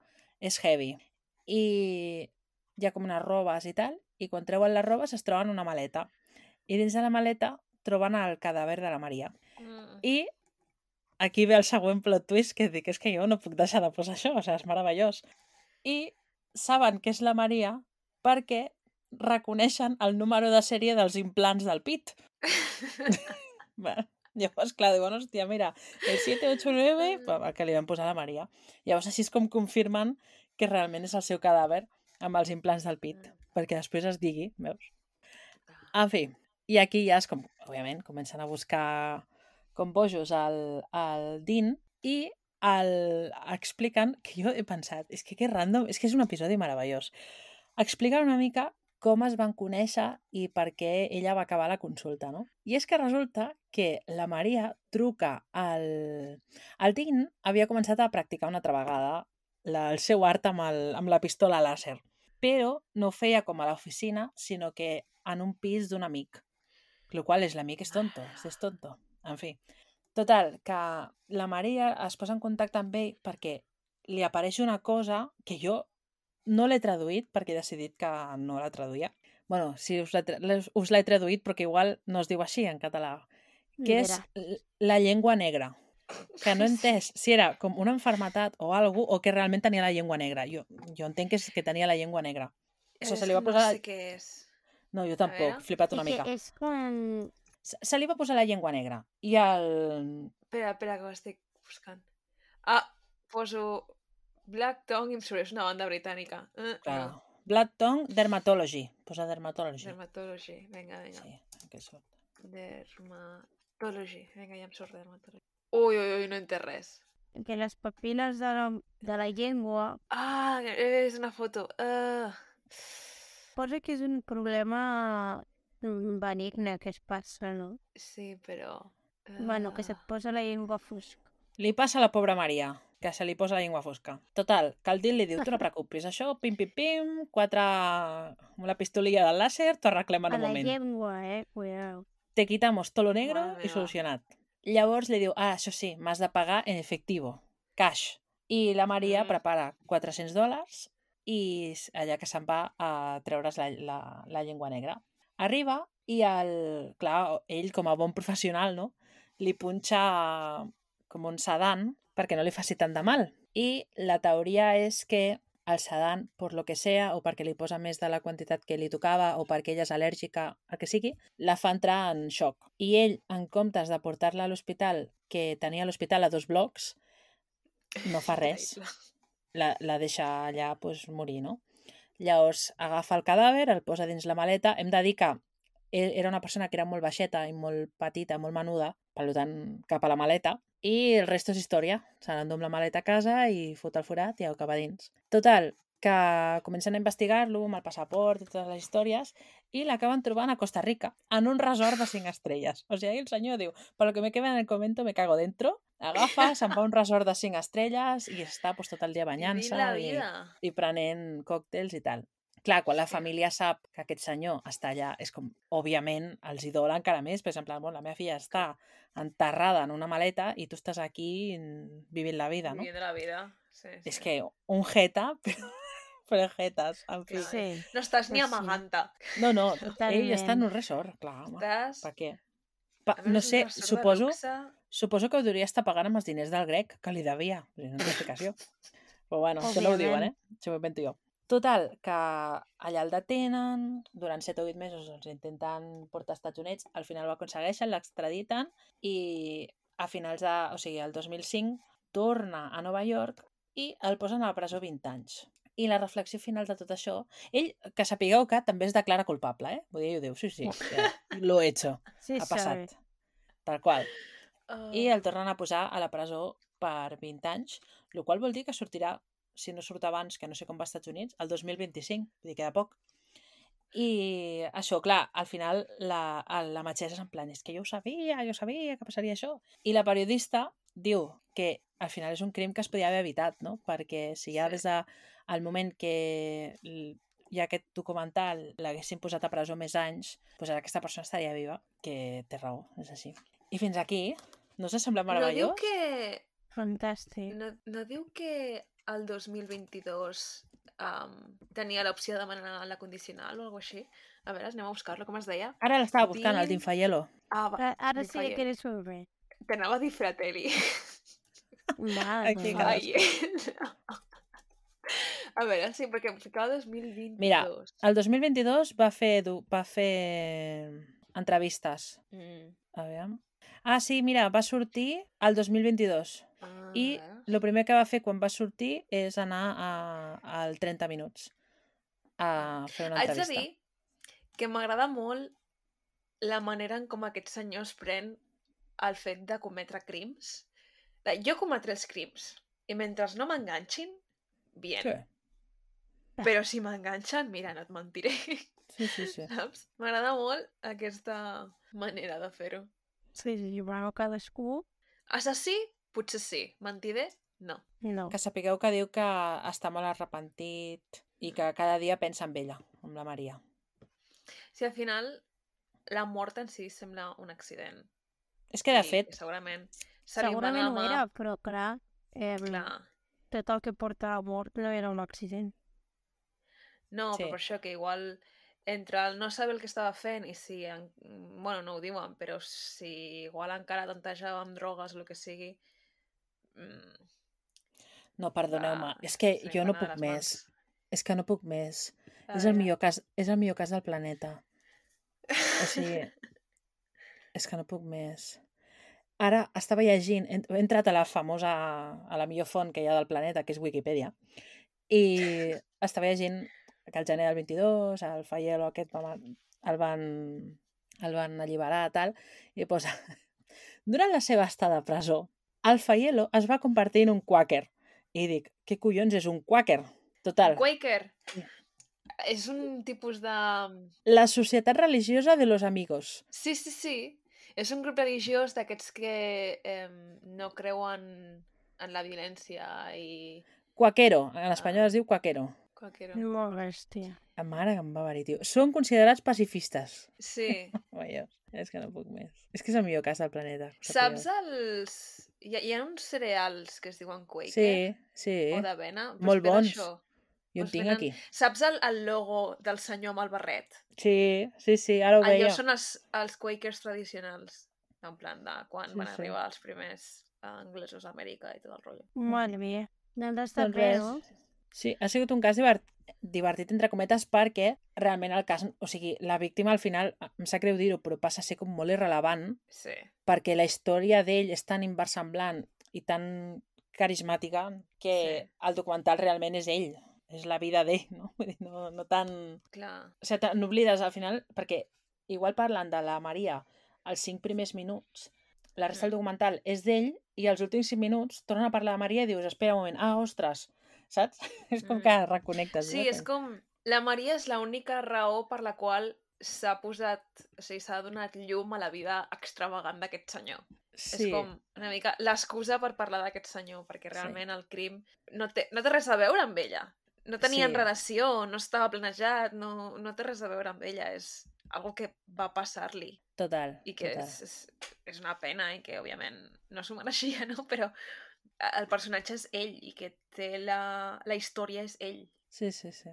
és heavy. I hi ha com unes robes i tal, i quan treuen les robes es troben una maleta. I dins de la maleta troben el cadàver de la Maria. Mm. I aquí ve el següent plot twist que dic, és que jo no puc deixar de posar això, o sigui, és meravellós. I saben que és la Maria perquè reconeixen el número de sèrie dels implants del pit. Bueno, llavors, clar, diuen, hòstia, mira, el set ocho nueve, que li van posar a la Maria. Llavors, així és com confirmen que realment és el seu cadàver amb els implants del pit, perquè després es digui, veus? En fi, i aquí ja és com, òbviament, comencen a buscar com bojos al, al Dean i el, expliquen, que jo he pensat, és que que random, és que és un episodi meravellós. Expliquen una mica com es van conèixer i per què ella va acabar la consulta, no? I és que resulta que la Maria truca al... El Dean havia començat a practicar una altra vegada la, el seu art amb, el, amb la pistola làser, però no ho feia com a l'oficina, sinó que en un pis d'un amic, el qual és l'amic és tonto, és tonto. En fi, total, que la Maria es posa en contacte amb ell perquè li apareix una cosa que jo no l'he traduït perquè he decidit que no la traduïa. Bueno, sí, us l'he traduït però que igual no es diu així en català, que és la llengua negra. Que no he entès si era com una enfermetat o alguna cosa o que realment tenia la llengua negra. Jo, jo entenc que, és, que tenia la llengua negra. Això se li va posar... No sé què és. No, jo tampoc, flipat una mica. És com... Se, se li va posar la llengua negra. I el... Espera, espera, que ho estic buscant. Ah, poso Black Tongue i em surt, és una banda britànica. Uh, Clar. no. Black Tongue Dermatology. Posa Dermatology. Dermatology, vinga, vinga. Sí, que surt. Dermatology, vinga, ja em surt Dermatology. Ui, ui, ui, no entenc res. Que les papil·les de la, de la llengua... Ah, és una foto. Uh... Posa que és un problema benigne que es passa, no? Sí, però... Uh... Bueno, que se't posa la llengua fosca. Li passa a la pobra Maria, que se li posa la llengua fosca. Total, que el Dean li diu, tu no preocupis, això, pim, pim, pim, quatre... amb la pistolilla del làser, t'ho arreglem en un a la moment. llengua, eh? Cuidado. Te quitamos todo lo negro Mare i meva. solucionat. Llavors li diu, ah, això sí, m'has de pagar en efectivo, cash. I la Maria Mm. prepara quatre-cents dòlars i allà que se'n va a treure's la, la, la llengua negra. Arriba i, el, clar, ell com a bon professional, no?, li punxa com un sedant perquè no li faci tant de mal. I la teoria és que el sedant, per lo que sea, o perquè li posa més de la quantitat que li tocava, o perquè ella és al·lèrgica, el que sigui, la fa entrar en xoc. I ell, en comptes de portar-la a l'hospital, que tenia l'hospital a dos blocs, no fa res. La, la deixa allà pues, morir, no? Llavors agafa el cadàver, el posa dins la maleta. Hem de dir que era una persona que era molt baixeta i molt petita, molt menuda, per tant, cap a la maleta, i el resto és història. Se n'endú amb la maleta a casa i fot el forat i ho acaba dins. Total, que comencen a investigar-lo amb el passaport i totes les històries i l'acaben trobant a Costa Rica, en un resort de cinc estrelles. O sigui, el senyor diu, per lo que me queda en el convento me cago dentro, agafa, se'n va a un resort de cinc estrelles i està pues, tot el dia banyant-se i, i prenent còctels i tal. Clar, quan la família sap que aquest senyor està allà, és com, òbviament, els idola encara més. Per exemple, bon, la meva filla està enterrada en una maleta i tu estàs aquí vivint la vida, no? Vivint la vida, sí, sí. És que un jeta, però, però jetes, en fi. Sí. No estàs ni Pues sí. amagant-te. No, no, Totalment. ell està en un resort, clar, home. Estàs... Per què? Pa, A més, no és un sé, resort de suposo, luxe. suposo que ho hauria estar pagant amb els diners del grec, que li devia. No té explicació. Però bueno, això no ho diuen, eh? Això m'ho invento jo. Total, que allà el detenen, durant set o vuit mesos doncs, intenten portar als Estats Units, al final ho aconsegueixen, l'extraditen i a finals de, o sigui, el dos mil cinc torna a Nova York i el posen a la presó vint anys. I la reflexió final de tot això, ell, que sapigueu que també es declara culpable, eh? Vull dir, ell ho diu, sí, sí, ja, lo he hecho, Sí, ha passat, sabe. tal qual. Uh... I el tornen a posar a la presó per vint anys, el qual vol dir que sortirà, si no surt abans, que no sé com va als Estats Units, el dos mil vint-i-cinc, vull dir, queda poc. I això, clar, al final la, la metgessa és en plan, és que jo ho sabia, jo sabia que passaria això. I la periodista diu que al final és un crim que es podia haver evitat, no? Perquè si ja Sí. des del moment que hi ha aquest documental l'haguessin posat a presó més anys, doncs ara aquesta persona estaria viva, que té raó, és així. I fins aquí, no us sembla No meravellós? diu que... Fantàstic. No, no diu que el dos mil vint-i-dos um, tenia l'opció de demanar la condicional o alguna cosa així. A veure, anem a buscar-lo, com es deia? Ara l'estava buscant, el Dean- Dinfaielo. Ah, va, Ara, ara sí Dinfaiel. que eres sobre. T'anava a dir Fratelli. Vale, Aquí vale. Ai. A veure, sí, perquè em ficava dos mil vint-i-dos. Mira, el dos mil vint-i-dos va fer, du- va fer entrevistes. Mm. A veure... Ah, sí, mira, va sortir el dos mil vint-i-dos. Ah, I a veure. el primer que va fer quan va sortir és anar a, al trenta minuts a fer una Haig de entrevista. dir que m'agrada molt la manera en com aquest senyor es pren el fet de cometre crims. De, jo cometré els crims i mentre no m'enganxin, bien. Sí, Però si m'enganxen, mira, no et mentiré. sí, sí. sí. Saps? M'agrada molt aquesta manera de fer-ho. Sí, sí, bueno, cadascú... Assassí? Potser sí. Mentider? No. No. Que sapigueu que diu que està molt arrepentit i que cada dia pensa en ella, amb la Maria. Si al final la mort en si sembla un accident. És que, de I fet, que segurament se li va Segurament la ho mà... era, però clar, eh, Clar. tot el que porta a la mort no era un accident. No, Sí. però per això que igual entre el no saber el que estava fent i si... En... Bueno, no ho diuen, però si igual encara tantejava amb drogues o el que sigui... Mm, no, perdoneu-me, clar, és que se li jo va no anar a puc les més. mans. És que no puc més. A És el, veure. millor cas, és el millor cas del planeta. O sigui, és que no puc més. Ara estava llegint, he he entrat a la famosa, a la millor font que hi ha del planeta, que és Wikipedia, i estava llegint que el gener del vint-i-dos, el Faielo aquest va- el van, el van alliberar, tal, i posa... Durant la seva estada a presó, el Faielo es va convertir en un quàquer. I dic, què collons és un quàquer? Total. Quaker! És un tipus de... La societat religiosa de los amigos. Sí, sí, sí. És un grup religiós d'aquests que eh, no creuen en la violència i... Quaquero. En espanyol es diu quaquero. Quaquero. Molt bèstia. La mare que em va venir, tio. Són considerats pacifistes. Sí. Vaja, és que no puc més. És que és el millor cas del planeta. ho Saps sapigueu. els... Hi ha, hi ha uns cereals que es diuen Quaker? Sí, sí. O d'avena? Doncs Molt ve bons. d'això. Jo en Doncs tinc venen- aquí. Saps el, el logo del senyor amb el barret? Sí, sí, sí, ara ho Allò veia. són els, els Quakers tradicionals. En plan de quan Sí, van sí. arribar els primers eh, anglesos a Amèrica i tot el rotllo. Madre mia. Doncs està Doncs bé, res. no? Sí, ha sigut un cas divert, divertit entre cometes perquè realment el cas, o sigui, la víctima al final, em sap greu dir-ho, però passa a ser com molt irrellevant Sí. perquè la història d'ell és tan inversemblant i tan carismàtica que Sí. el documental realment és ell, és la vida d'ell, no? Vull dir, no, no tan... Clar. O sigui, te n'oblides al final, perquè igual parlant de la Maria els cinc primers minuts, la resta del documental és d'ell i els últims cinc minuts tornen a parlar de Maria i dius, espera un moment, ah, ostres, saps? És com Mm. que reconnectes. Sí, és com... La Maria és l'única raó per la qual s'ha posat... O sigui, s'ha donat llum a la vida extravagant d'aquest senyor. Sí, És com una mica l'excusa per parlar d'aquest senyor, perquè Sí. realment el crim no té, no té res a veure amb ella. No tenien Sí. relació, no estava planejat, no, no té res a veure amb ella. És algo que va passar-li total, i que total. és, és, és una pena i que, òbviament, no s'ho mereixia, no? Però el personatge és ell i que té la, la història és ell. Sí, sí, sí.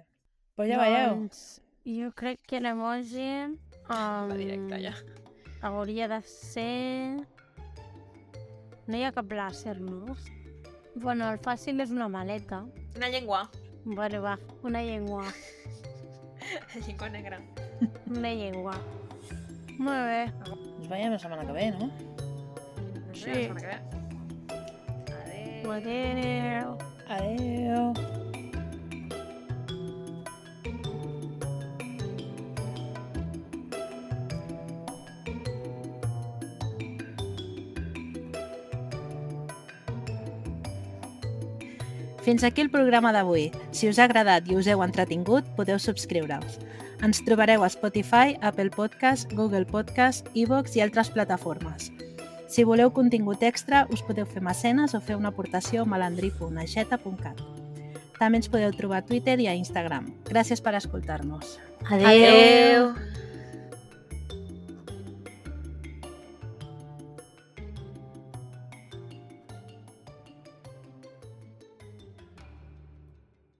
Però ja veieu. Doncs jo crec que l'emoji um, Va directe, ja. hauria de ser... No hi ha cap làser, no? Bueno, el fàcil és una maleta. Una llengua. Bueno, va, una llengua. Llengua negra. Una llengua. Molt bé. Ens veiem la setmana que ve, no? Ens Sí. veiem la setmana que ve. Adéu. Adéu. Adéu. Fins aquí el programa d'avui. Si us ha agradat i us heu entretingut, podeu subscriure-us. Ens trobareu a Spotify, Apple Podcast, Google Podcast, iVoox i altres plataformes. Si voleu contingut extra, us podeu fer mecenes o fer una aportació a malandrí punt aixeta punt cat. També ens podeu trobar a Twitter i a Instagram. Gràcies per escoltar-nos. Adéu. Adéu.